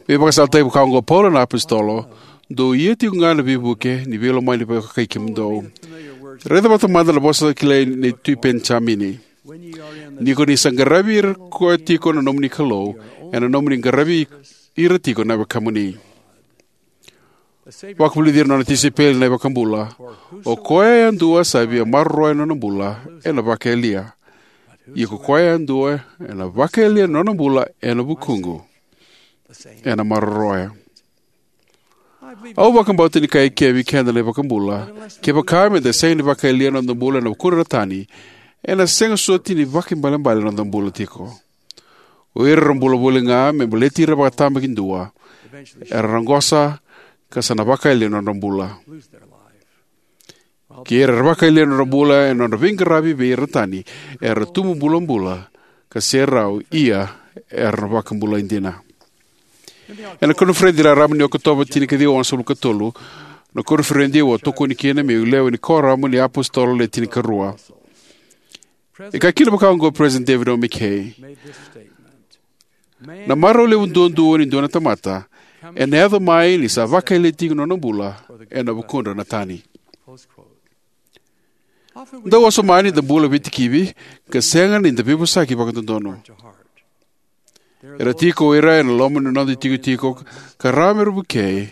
Me vakasalataki vaka oqo o Paula na apositolo, "Dou ia tiko ga na veivuke ni veilomani vakakai kemudou." Raica vata mada na vosa kilai nei Tui Penijamini: "Ni ko ni sa qaravi ira koya tiko na nomuni Kalou, ena nomuni qaravi ira tiko na wekamuni." Vakavulici ira na nona tisaipeli na iVakabula: "O koya yadua sa via maroroya na nona bula, ena vakayalia. Ia ko koya yadua ena vakayalia na nona bula ena vukuqu, ena maroroya." Au vakabauta ni kaya eke vei keda na iVakabula, kevaka me da sega ni vakayalia na noda bula ena vukudra na tani, ena sega soti ni vakaibalebale na noda bula tiko. O ira era bula voli ga me baleti ira vakatabakidua era raqosa ka sa na vakayalia na nodra bula. Kei ira era vakayalia na nodra bula ena nodra veiqaravi vei ira na tani, era tubu bulabula ka serau, ia era na vakabulai dina. Ena koniferedi raraba ni Okotova tinikaciwa walusagavulu ka tolu, na koniferedi au a tokoni kina meu lewe ni Koramu ni iApositolo Le Tinikarua, e kaya kina vaka oqo o Peresitedi David O. McKay: "Na marau levu duadua ni dua na tamata ena yaco mai ni sa vakayalia tiko na nona bula ena vukudra na tani." Dau wasoma ni da bula veitikivi ka sega ni da veivosaki vakadodonu. Era tiko o ira ena loma ni noda itikotiko ka rawa me ra vukei,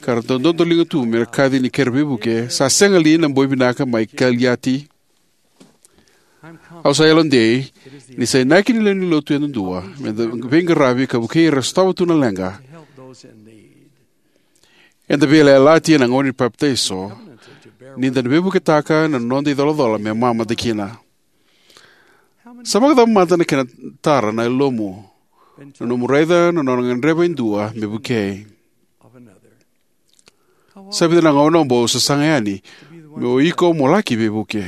ka ra dau dodoliga tu me ra kaci ni kena veivuke sa sega li na boi vinaka mai Kaliati? Au sa yalodei ni sa inaki ni lewe ni lotu yadudua me da veiqaravi ka vukei ira era sotava tu na leqa. Eda veiyalayalati ena gauna ni papitaiso ni da na veivuketaka na noda icolacola me mamada kina. Sa vakacava mada na kena tara na yalomu na nomu raica na nona gadreva e dua me vukei? Sa vica na gauna o bau sasaga yani me o iko mo laki veivuke.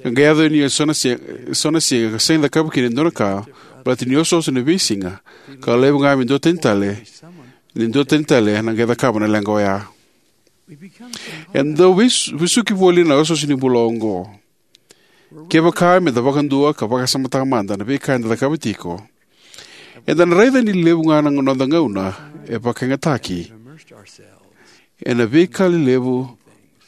Ka qai yaco ni eso na se- eso na siga ka sega ni cakava kina e dua na ka, baleta ni osooso na veisiga, ka levu ga me duatani tale, ni duatani tale na qai cakava na leqa oya. Eda dau veis- vesuki voli na osooso ni bula oqo. Kevaka me da vakadua ka vakasamataka mada na veika eda cakava tiko, eda na raica ni levu ga na noda gauna e vakayagataki ena veika lelevu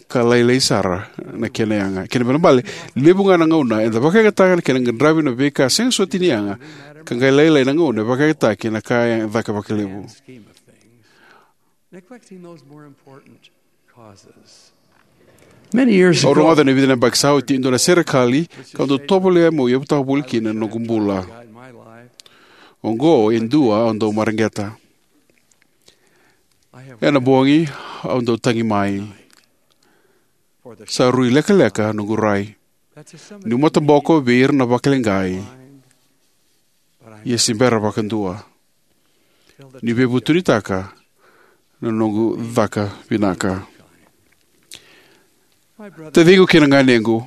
ka lailai sara na kena yaga. Kena ibalebale, levu ga na gauna eda vakayagataka na kena qaravi na veika sega soti ni yaga, ka qai lailai na gauna e vakayagataki na ka e caka vakalevu. Neglecting those more important causes. Many years Au ago, rogoca ena vica na yabaki sa oti e dua na serekali kau dau tovolea meu yavutaka voli kina na noqu bula. Oqo e dua au dau mareqeta. Ena bogi au dau tagi mai. Sa rui lekaleka noqu rai. Niu mataboko vei ira na vakaleqai, ia se bera vakadua ni veivutunitaka na noqu caka vinaka. Taciqu kei na ganequ,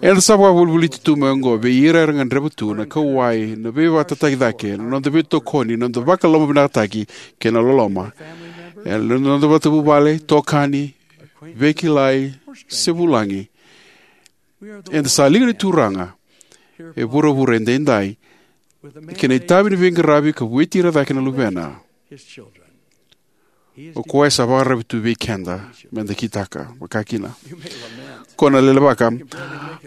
eda sa vakavolivoliti tu mai oqo vei ira era gadreva tu na kauwai, na veivakatataki cake, na noda veitokoni, na noda vakalomavinakataki kei na loloma. E na noda matavuvale, itokani, veikilai, se vulagi. Eda sa liga ni Turaga e vuravura edaidai, kei na itavi ni veiqaravi ka vueti ira cake na luvena. O koya sa vakararavi tu vei keda meda kitaka vakakina. Ko na lelevaka,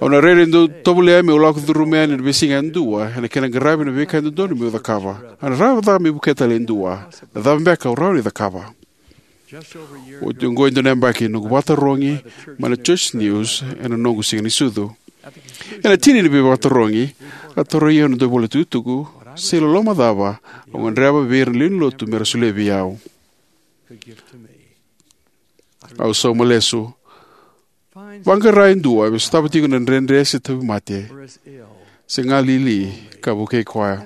au na rairai dau tovolea meu lako curuma yani ena veisiga yadua ena kena qaravi na veika e dodonu meu cakava. A na rawa cava meu vukea tale e dua? Na cava beka au rawa ni cakava? Oti oqo e dua na yabaki noqu vakatarogi mai na Church News ena noqu siga ni sucu. Ena tini ni veivakatarogi, a tarogi au na dauvolatukutuku se iloloma cava au gadreva vei ira na lewe ni lotu mera solia vei au. Au sauma lesu. Vaqara e dua me sotava tiko na dredre se tauvimate, se galili, ka vukei koya.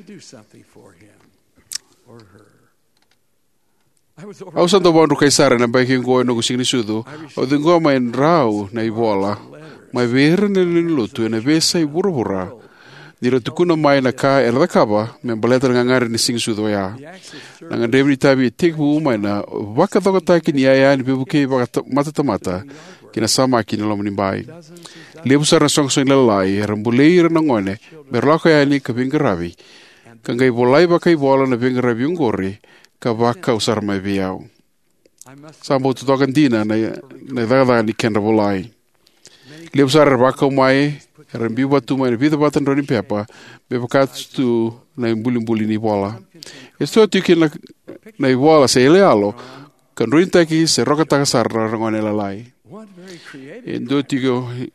Au sa dau vakadrukai sara ena yabaki oqo ena noqu siga ni sucu. Au ciqoma e drau na ivola mai vei ira na lewe ni lotu ena veiyasai vuravura, ni ra tukuna mai na ka era cakava me baleta na gagadre ni siga ni sucu oya. Na gadrevi ni itavi e tekivu mai na vakacokotaki ni yaya ni veivukei vaka- matatamata ki na samaki ni lomanibai. Levu sara na isoqosoqo ni lalai era bolei ira na gone mera lako yani ka veiqaravi, ka qai volai vakaivola na veiqaravi oqori ka vakau sara mai vei au. Sa bau totoka dina na, na icakacaka ni kedra volai. Levu sara era vakau mai, era biu vata tu mai na vica vata na drau ni pepa, me vaka tu na ibulibuli ni vola. E so tiko kina na ivola se iyaloyalo ka droinitaki se rokataka sara na gone lalai. E dua tiko, e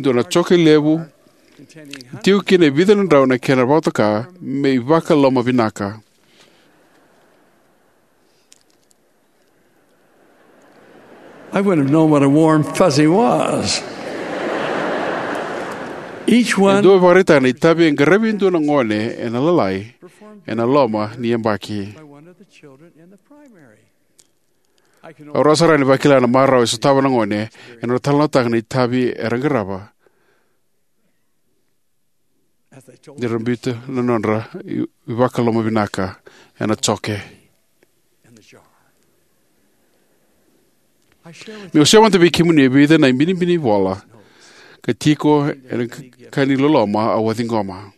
dua na joke levu tiko kina e vica na drau na kena vakatoka me ivakaloma vinaka. I wouldn't have known what a warm fuzzy was. Each E one dua e vakaraitaka na itavi e qaravi e dua na gone ena lalai ena loma ni yabaki. By one of the children in the primary. I can Au rawa sara ni vakila na marau e sotava na gone ena nodra talanoataka na itavi era qarava. Ni ra biuta na nodra i- ivakaloma vinaka ena joke. Meu sema vei kemuni e vica na ibinibini vola ka tiko ena ka ni loloma au a ciqoma.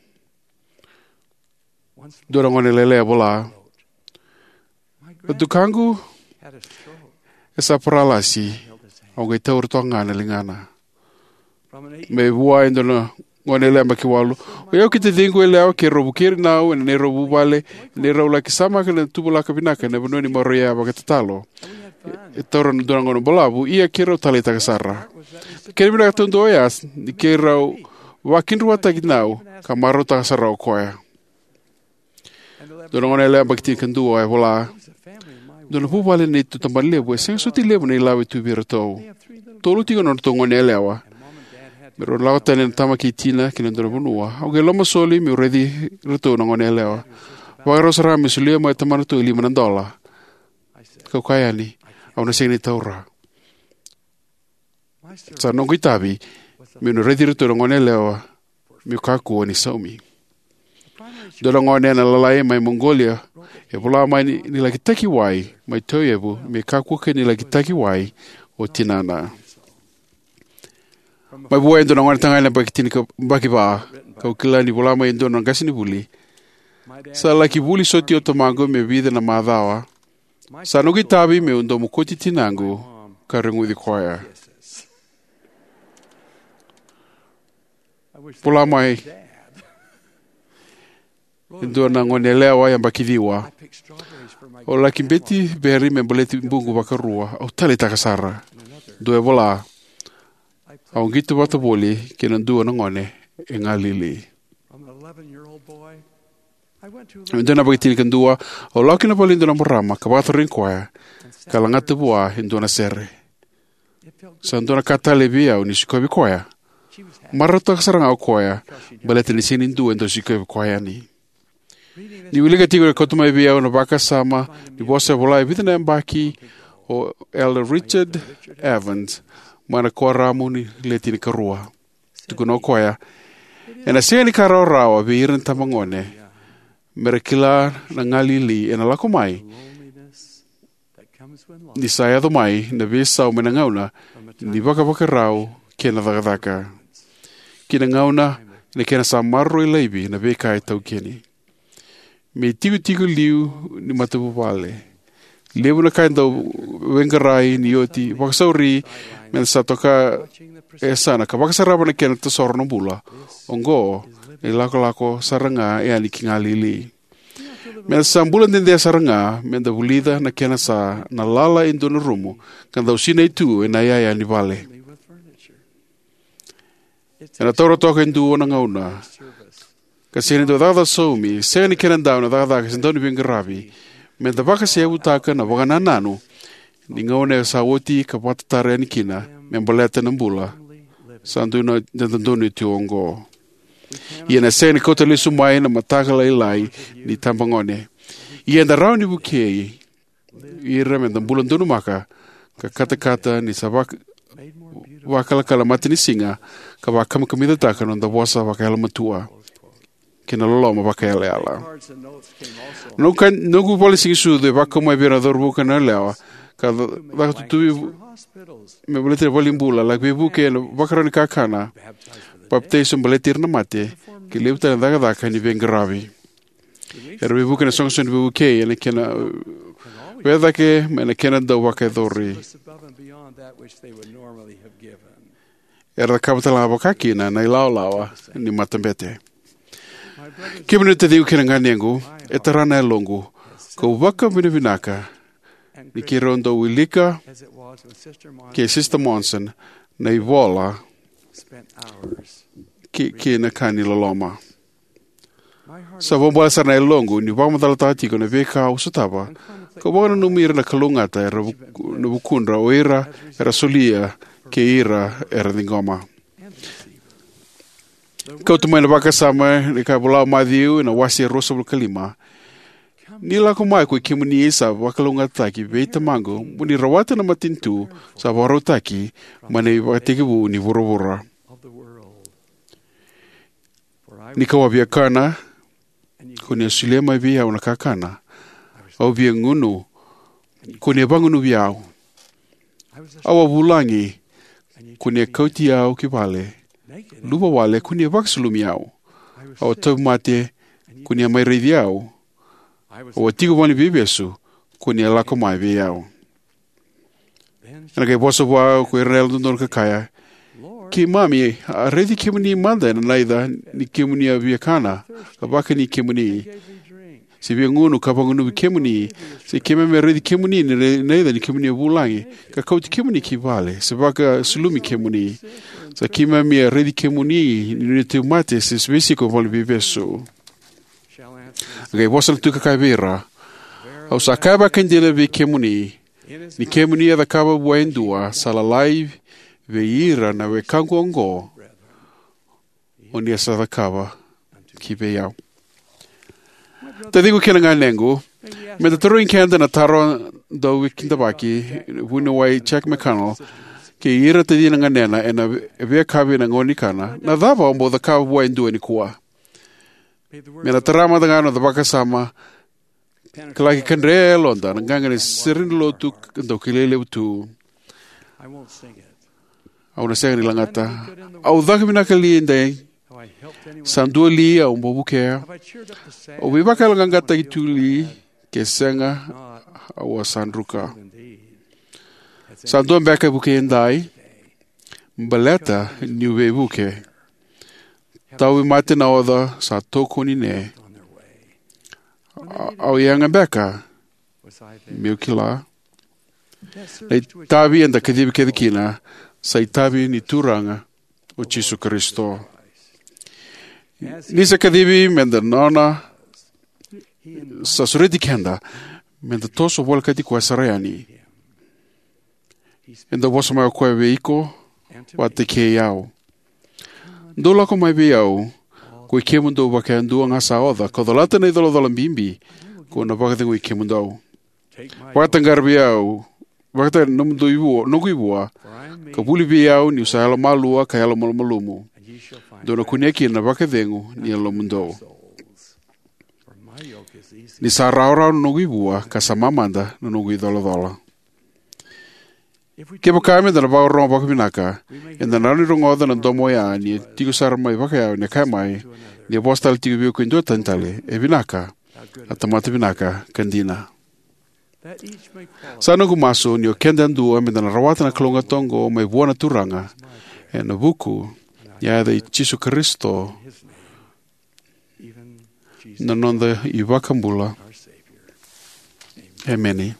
Dua na gone lailai a vola, na tukaqu e sa paralasi, au qai taura toka ga na ligana. Mai vua e dua na gone yalewa yabaki walu. O yau kei taciqu yalewa keirau vukei ira nau ena neirau vuvale, neirau laki samaka na tuvalaka vinaka ena vanua ni maroroi yaya vakatatalo. E taura na dua na gauna balavu, ia keirau taleitaka sara. Kena vinaka taudua oya ni keirau vakidruataki nau ka marautaka sara o koya. Dua na gone yalewa yabaki tinikadua e vola, dua na vuvale neitou tabana levu e sega soti levu na ilavo e tu vei iratou. Tolu tiko na nodratou gone yalewa. Me rau lako tani na tama kei tina ki na dua na vanua. Au qai lomasoli meu raici iratou na gone yalewa. Vakarau sara me solia mai tamanatou e lima na dola. Kau kaya yani, au na sega ni taura. Sa noqu itavi meu na raici iratou na gone yalewa meu kakua ni saumi. Dua na gone ena lalai mai Mongolia e vola mai ni, ni laki taki wai mai Tauyavu me kakua kina ni laki taki wai o tinana. Mai vua e dua na gone tagane yabaki tinika, yabaki va, kau kila ni vola mai e dua na qasenivuli. Sa laki vuli soti o tamaqu me vica na macawa. Sa noqu itavi meu dau mokoti tinaqu ka reguci koya. Vola mai e dua na gone yalewa yabaki ciwa: Au laki beti beri me baleti buqu vakarua. Au taleitaka sara. Dua e vola: Au qito vata voli kei na dua na gone e galili. E dua na yabaki tinikadua, au lako ki na vale ni dua na marama ka vakatarogi koya ka lagata vua e dua na sere. Sa dua na ka talei vei au ni sikovi koya. Marautaka sara ga o koya baleta ni sega ni dua e dau sikovi koya yani. Niu wilika tiko, e kauta mai vei au na vakasama ni vosa e vola e vica na yabaki o Elder Richard Evans mai na Kuoramu ni Le Tinikarua. Tukuna o koya: Ena sega ni ka rawarawa vei ira na itabagone me ra kila na galili ena lako mai ni sa yaco mai na veisau mai na gauna ni vakavakarau kei na cakacaka, kei na gauna ena kena sa maroroi laivi na veika e taukeni. Me itikotiko liu ni matavuvale, levu na ka e dau veiqaravi ni oti. Vakasauri me da sa toka e yasana ka vakasarava na kena tasoro na bula. Oqo na ilakolako sara ga yani ki galili. Me da sa bula dede sara ga me da vulica na kena sa na lala e dua na rumu ka dau sinai tu ena iyaya ni vale. Ena taura toka e dua na gauna ka sega ni dau cakacaka saumi, sega ni kenadau na cakacaka se dau ni veiqaravi, me da vakaseyavutaka na vakanananu ni gauna e sa oti ka vakatatara yani kina me baleta na bula sa dau na dodonu tu oqo. Ia ena sega ni kauta lesu mai na mataka lailai ni itabagone. Ia eda rawa ni vukei ira me da bula donumaka ka katakata ni sa vak- vakalakala matanisiga ka vakamikamicataka na noda vosa vakayalomatua kei na loloma vakayalayala. Noqu ka- noqu vale ni siga ni sucu e vakau mai vei ira na cauravou kei na yalewa ka ca- caka tutuvi me baleti ira na valenibula, laki veivuke ena vakarau ni kakana, papitaiso baleti ira na mate, kei levu tale na cakacaka ni veiqaravi. Era veivuke ena isoqosoqo ni veivukei ena kena veivuke cake mai na kena dau vakayacori. Era cakava tale ga vakakina na ilawalawa ni matabete. Kemuni na taciqu kei na ganequ, e tara na yaloqu kau vakavinavinaka ni keirau dau wilika kei Sister Monson na ivola kei, kei na ka ni loloma. Sa vakabulai sara na yaloqu niu vakamacalataka tiko na veika au sotava kau vakananumi ira na kalougata era vuk- na vukudra, o ira era solia kei ira era ciqoma. Kauta mai na vakasama ni ka e vola o Maciu ena wase ruasagavulu ka lima: Ni lako mai koi kemuni sa vakalougatataki vei Tamaqu, mo ni rawata na matanitu sa vakarautaki mai na ivakatekivu ni vuravura. Ni kau a via kana, ko ni a solia mai vei au na kakana. Au via gunu, ko ni a vagunuvi au. Au a vulagi, ko ni a kauti au ki vale. Luva wale, ko ni a vakasulumi au. Au a tauvimate, ko ni a mai raici au. Au a tiko vale ni veivesu, ko ni a lako mai vei au. Ena qai vosa vua ko ira na yalododonu ka kaya: Keimami a raici kemuni mada ena naica ni kemuni a via kana, ka vakani kemuni, se via gunu ka vagunuvi kemuni, se keimami a raici kemuni ni ra- naica ni kemuni a vulagi, ka kauti kemuni ki vale, se vakasulumi kemuni, sa keimami a raici kemuni ni nui tauvimate, se veisiko vale ni veivesu. A qai vosa na Tui ka kaya vei ira: Au sa kaya vakaidina vei kemuni, ni kemuni a cakava vua e dua sa lalai vei ira na wekaqu oqo, o ni a sa cakava ki vei au. Taciqu kei na ganequ, me da tarogi keda na taro dau veikidavaki vuniwai Chuck McConnell kei ira na tacina ganena ena veiyakavi ena gauna ni kana: Na cava au bau cakava vua e dua nikua? Me na tara mada ga na noda vakasama ka laki kadre e yaloda na qaqa ni sere ni lotu ka dau kilai levu tu. Au na sega ni lagata. Au caka vinaka li edai? Sa dua li au bau vukea? Au veivakayaloqaqataki tu li? Ke sega, au a sa druka. Sa dua beka e vukei edai? Baleta niu veivuke. Tauvimate na oca sa tokoni ne. A-, au yaga beka meu kila. Na itavi eda kacivi kece kina sa itavi ni Turaga o Jisu Karisito. Ni sa kacivi meda nona, sa sureti keda meda toso volekati koya sara yani. Eda vosa mai o koya vei iko vata kei au. Dou lako mai vei au, ko i kemudou vakayadua ga sa oca ka colata na icolacola bibi, ko na vakacegui kemudou. Vakataqara vei au, vakataqara nomudou ivua, noqu ivua, ka vuli vei au niu sa yalomalua ka yalomalumalumu. Dou na kunea kina na vakacegu ni yalomudou. Ni sa rawarawa na noqu ivua ka sa mamada na noqu icolacola. Kevaka meda na vakarorogo vakavinaka, eda na rawa ni rogoca na domo oya ni tiko sara mai vakayawa ni kaya mai, ni vosa tale tiko vei iko e dua tani tale, e vinaka, a tamata vinaka ka dina. Sa noqu masu ni o keda yadua meda na rawata na kalougata oqo mai vua na Turaga, ena vuku ni yaca i Jisu Karisito, na noda iVakabula. Emeni.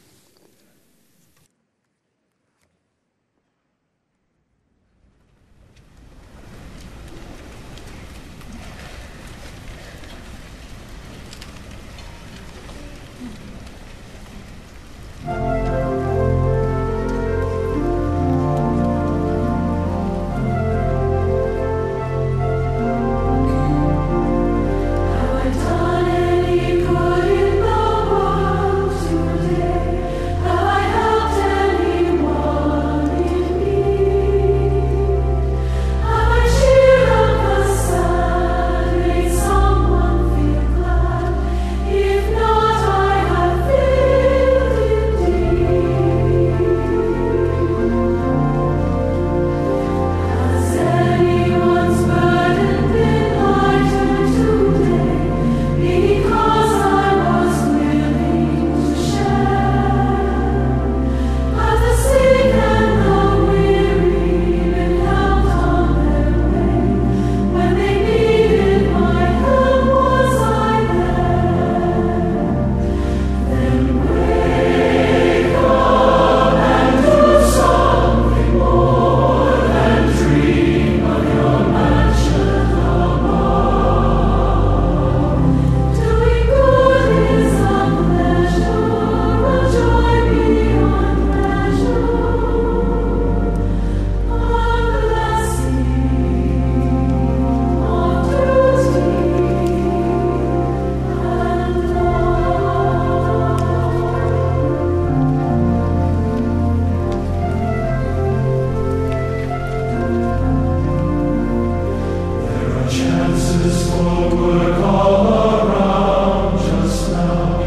There are chances for work all around just now.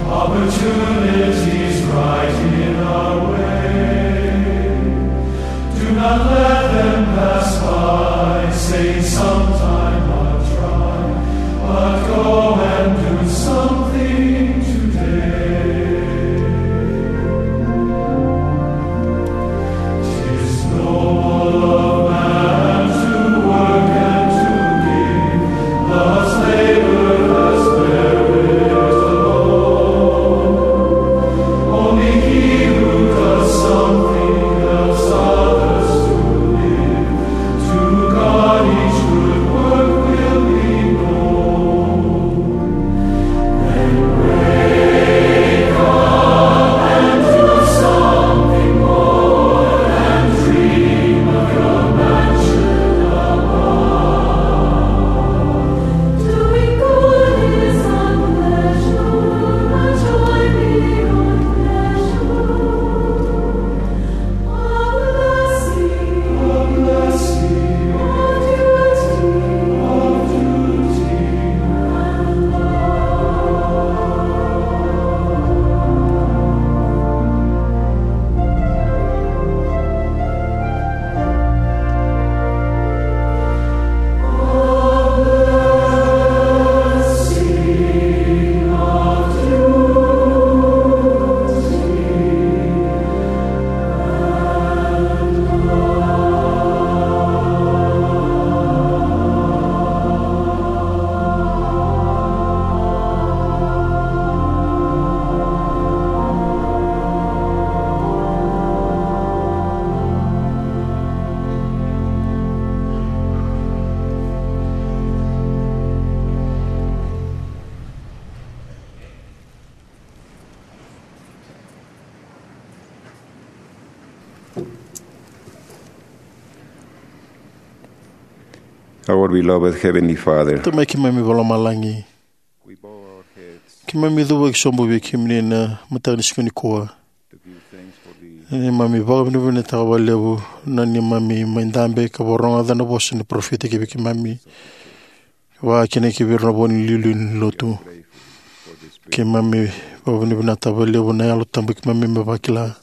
Opportunities right in our way. Do not let them pass by. Say sometime I'll try, but go and do something today. Tis noble of man to work and to give. Love's labor has buried alone. Only he who does something helps others to Our beloved Heavenly Father, Tamai keimami vakalomalagi, keimami cuvaki sobu vei kemuni na mataka ni siga nikua. Neimami vakavinavinakataka vakalevu na neimami mai dabe ka vakarogoca na vosa ni parofita ki vei keimami, vaka kina ki vei ira na vo ni iliuliu ni lotu. Keimami vakavinavinakataka vakalevu na Yalo Tabu keimami mai vakila.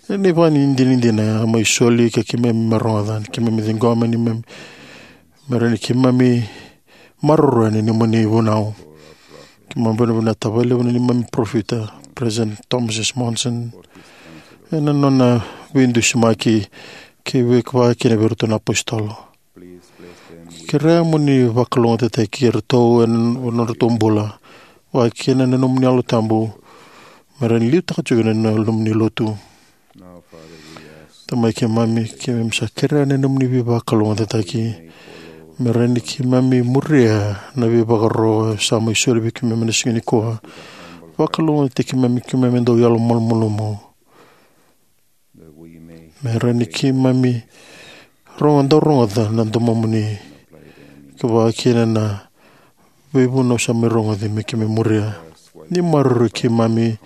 Ena ivakadinadina a mai soli ka keimami mai rogoca, keimami ciqoma neimami me rawa ni keimami maroroya na neimami vunau. Keimami vakavinavinakataka vakalevu na neimami parofita, President Thomas S. Monson, ena nona veidusimaki kei vaka kina vei iratou na apositolo. Kerea mo ni vakalougatataki iratou ena nodratou bula, vaka kina na nomuni Yalo Tabu, me rawa ni liutaka tiko na nomuni lotu. Tamai keimami, keimami sa kerea na nomuni veivakalougatataki me rawa ni keimami muria na veivakaro sa mai soli vei keimami na siga nikua. Vakalougatataki keimami, keimami dau yalomalumalumu. Me rawa ni keimami rogo, dau rogoca na domomuni, ka vaka kina na veivunau sa mai rogoci me keimami muria. Ni maroroi keimami,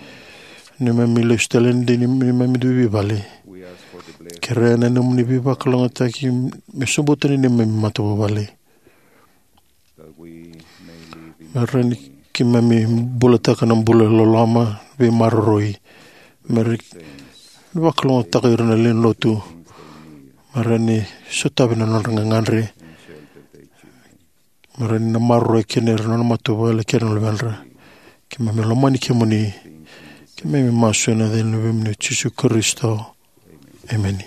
neimami lesu tale ni neimami dui veivale. Kerea na nomuni veivakalougatataki me sobuta ni neimami matavuvale. Me rawa ni keimami bulataka na bula loloma, veimaroroi. Me rawa ni vakalougatataka ira na lewe ni lotu. Me rawa ni sotavi na nodra gagadre. Me rawa ni na maroroi kina ira na nona matavuvale kei na luvedra. Keimami lomani kemuni. Keimami masu ena yaca ni Luvemuni o Jisu Karisito. Emeni.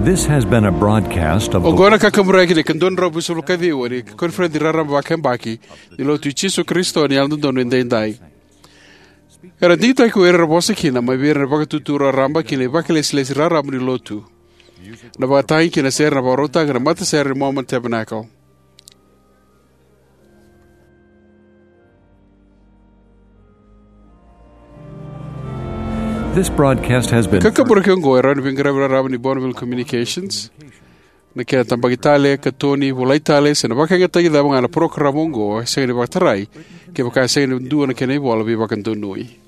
This has been a broadcast of the Oqo na kakaburaki ni ikaduadrau vitusagavulu ka ciwa ni koniferedi raraba vakayabaki ni Lotu i Jisu Karisito ni Yalododonu Edaidai. Era digitaki ko ira era vosa kina mai vei ira na vakatutu raraba kei na vakailesilesi raraba ni Lotu. Na vakatagi kei na sere na vakarautaki na matasere ni Mormon Tabernacle. This broadcast has been Kakaburaki oqo e rawa ni veiqaravi raraba ni Bonneville Communications. Na kena tabaki tale, katoni, volai tale, se na vakayagataki cava ga na parokaramu oqo e sega ni vakatarai kevaka e sega ni dua na kena ivola veivakadonui.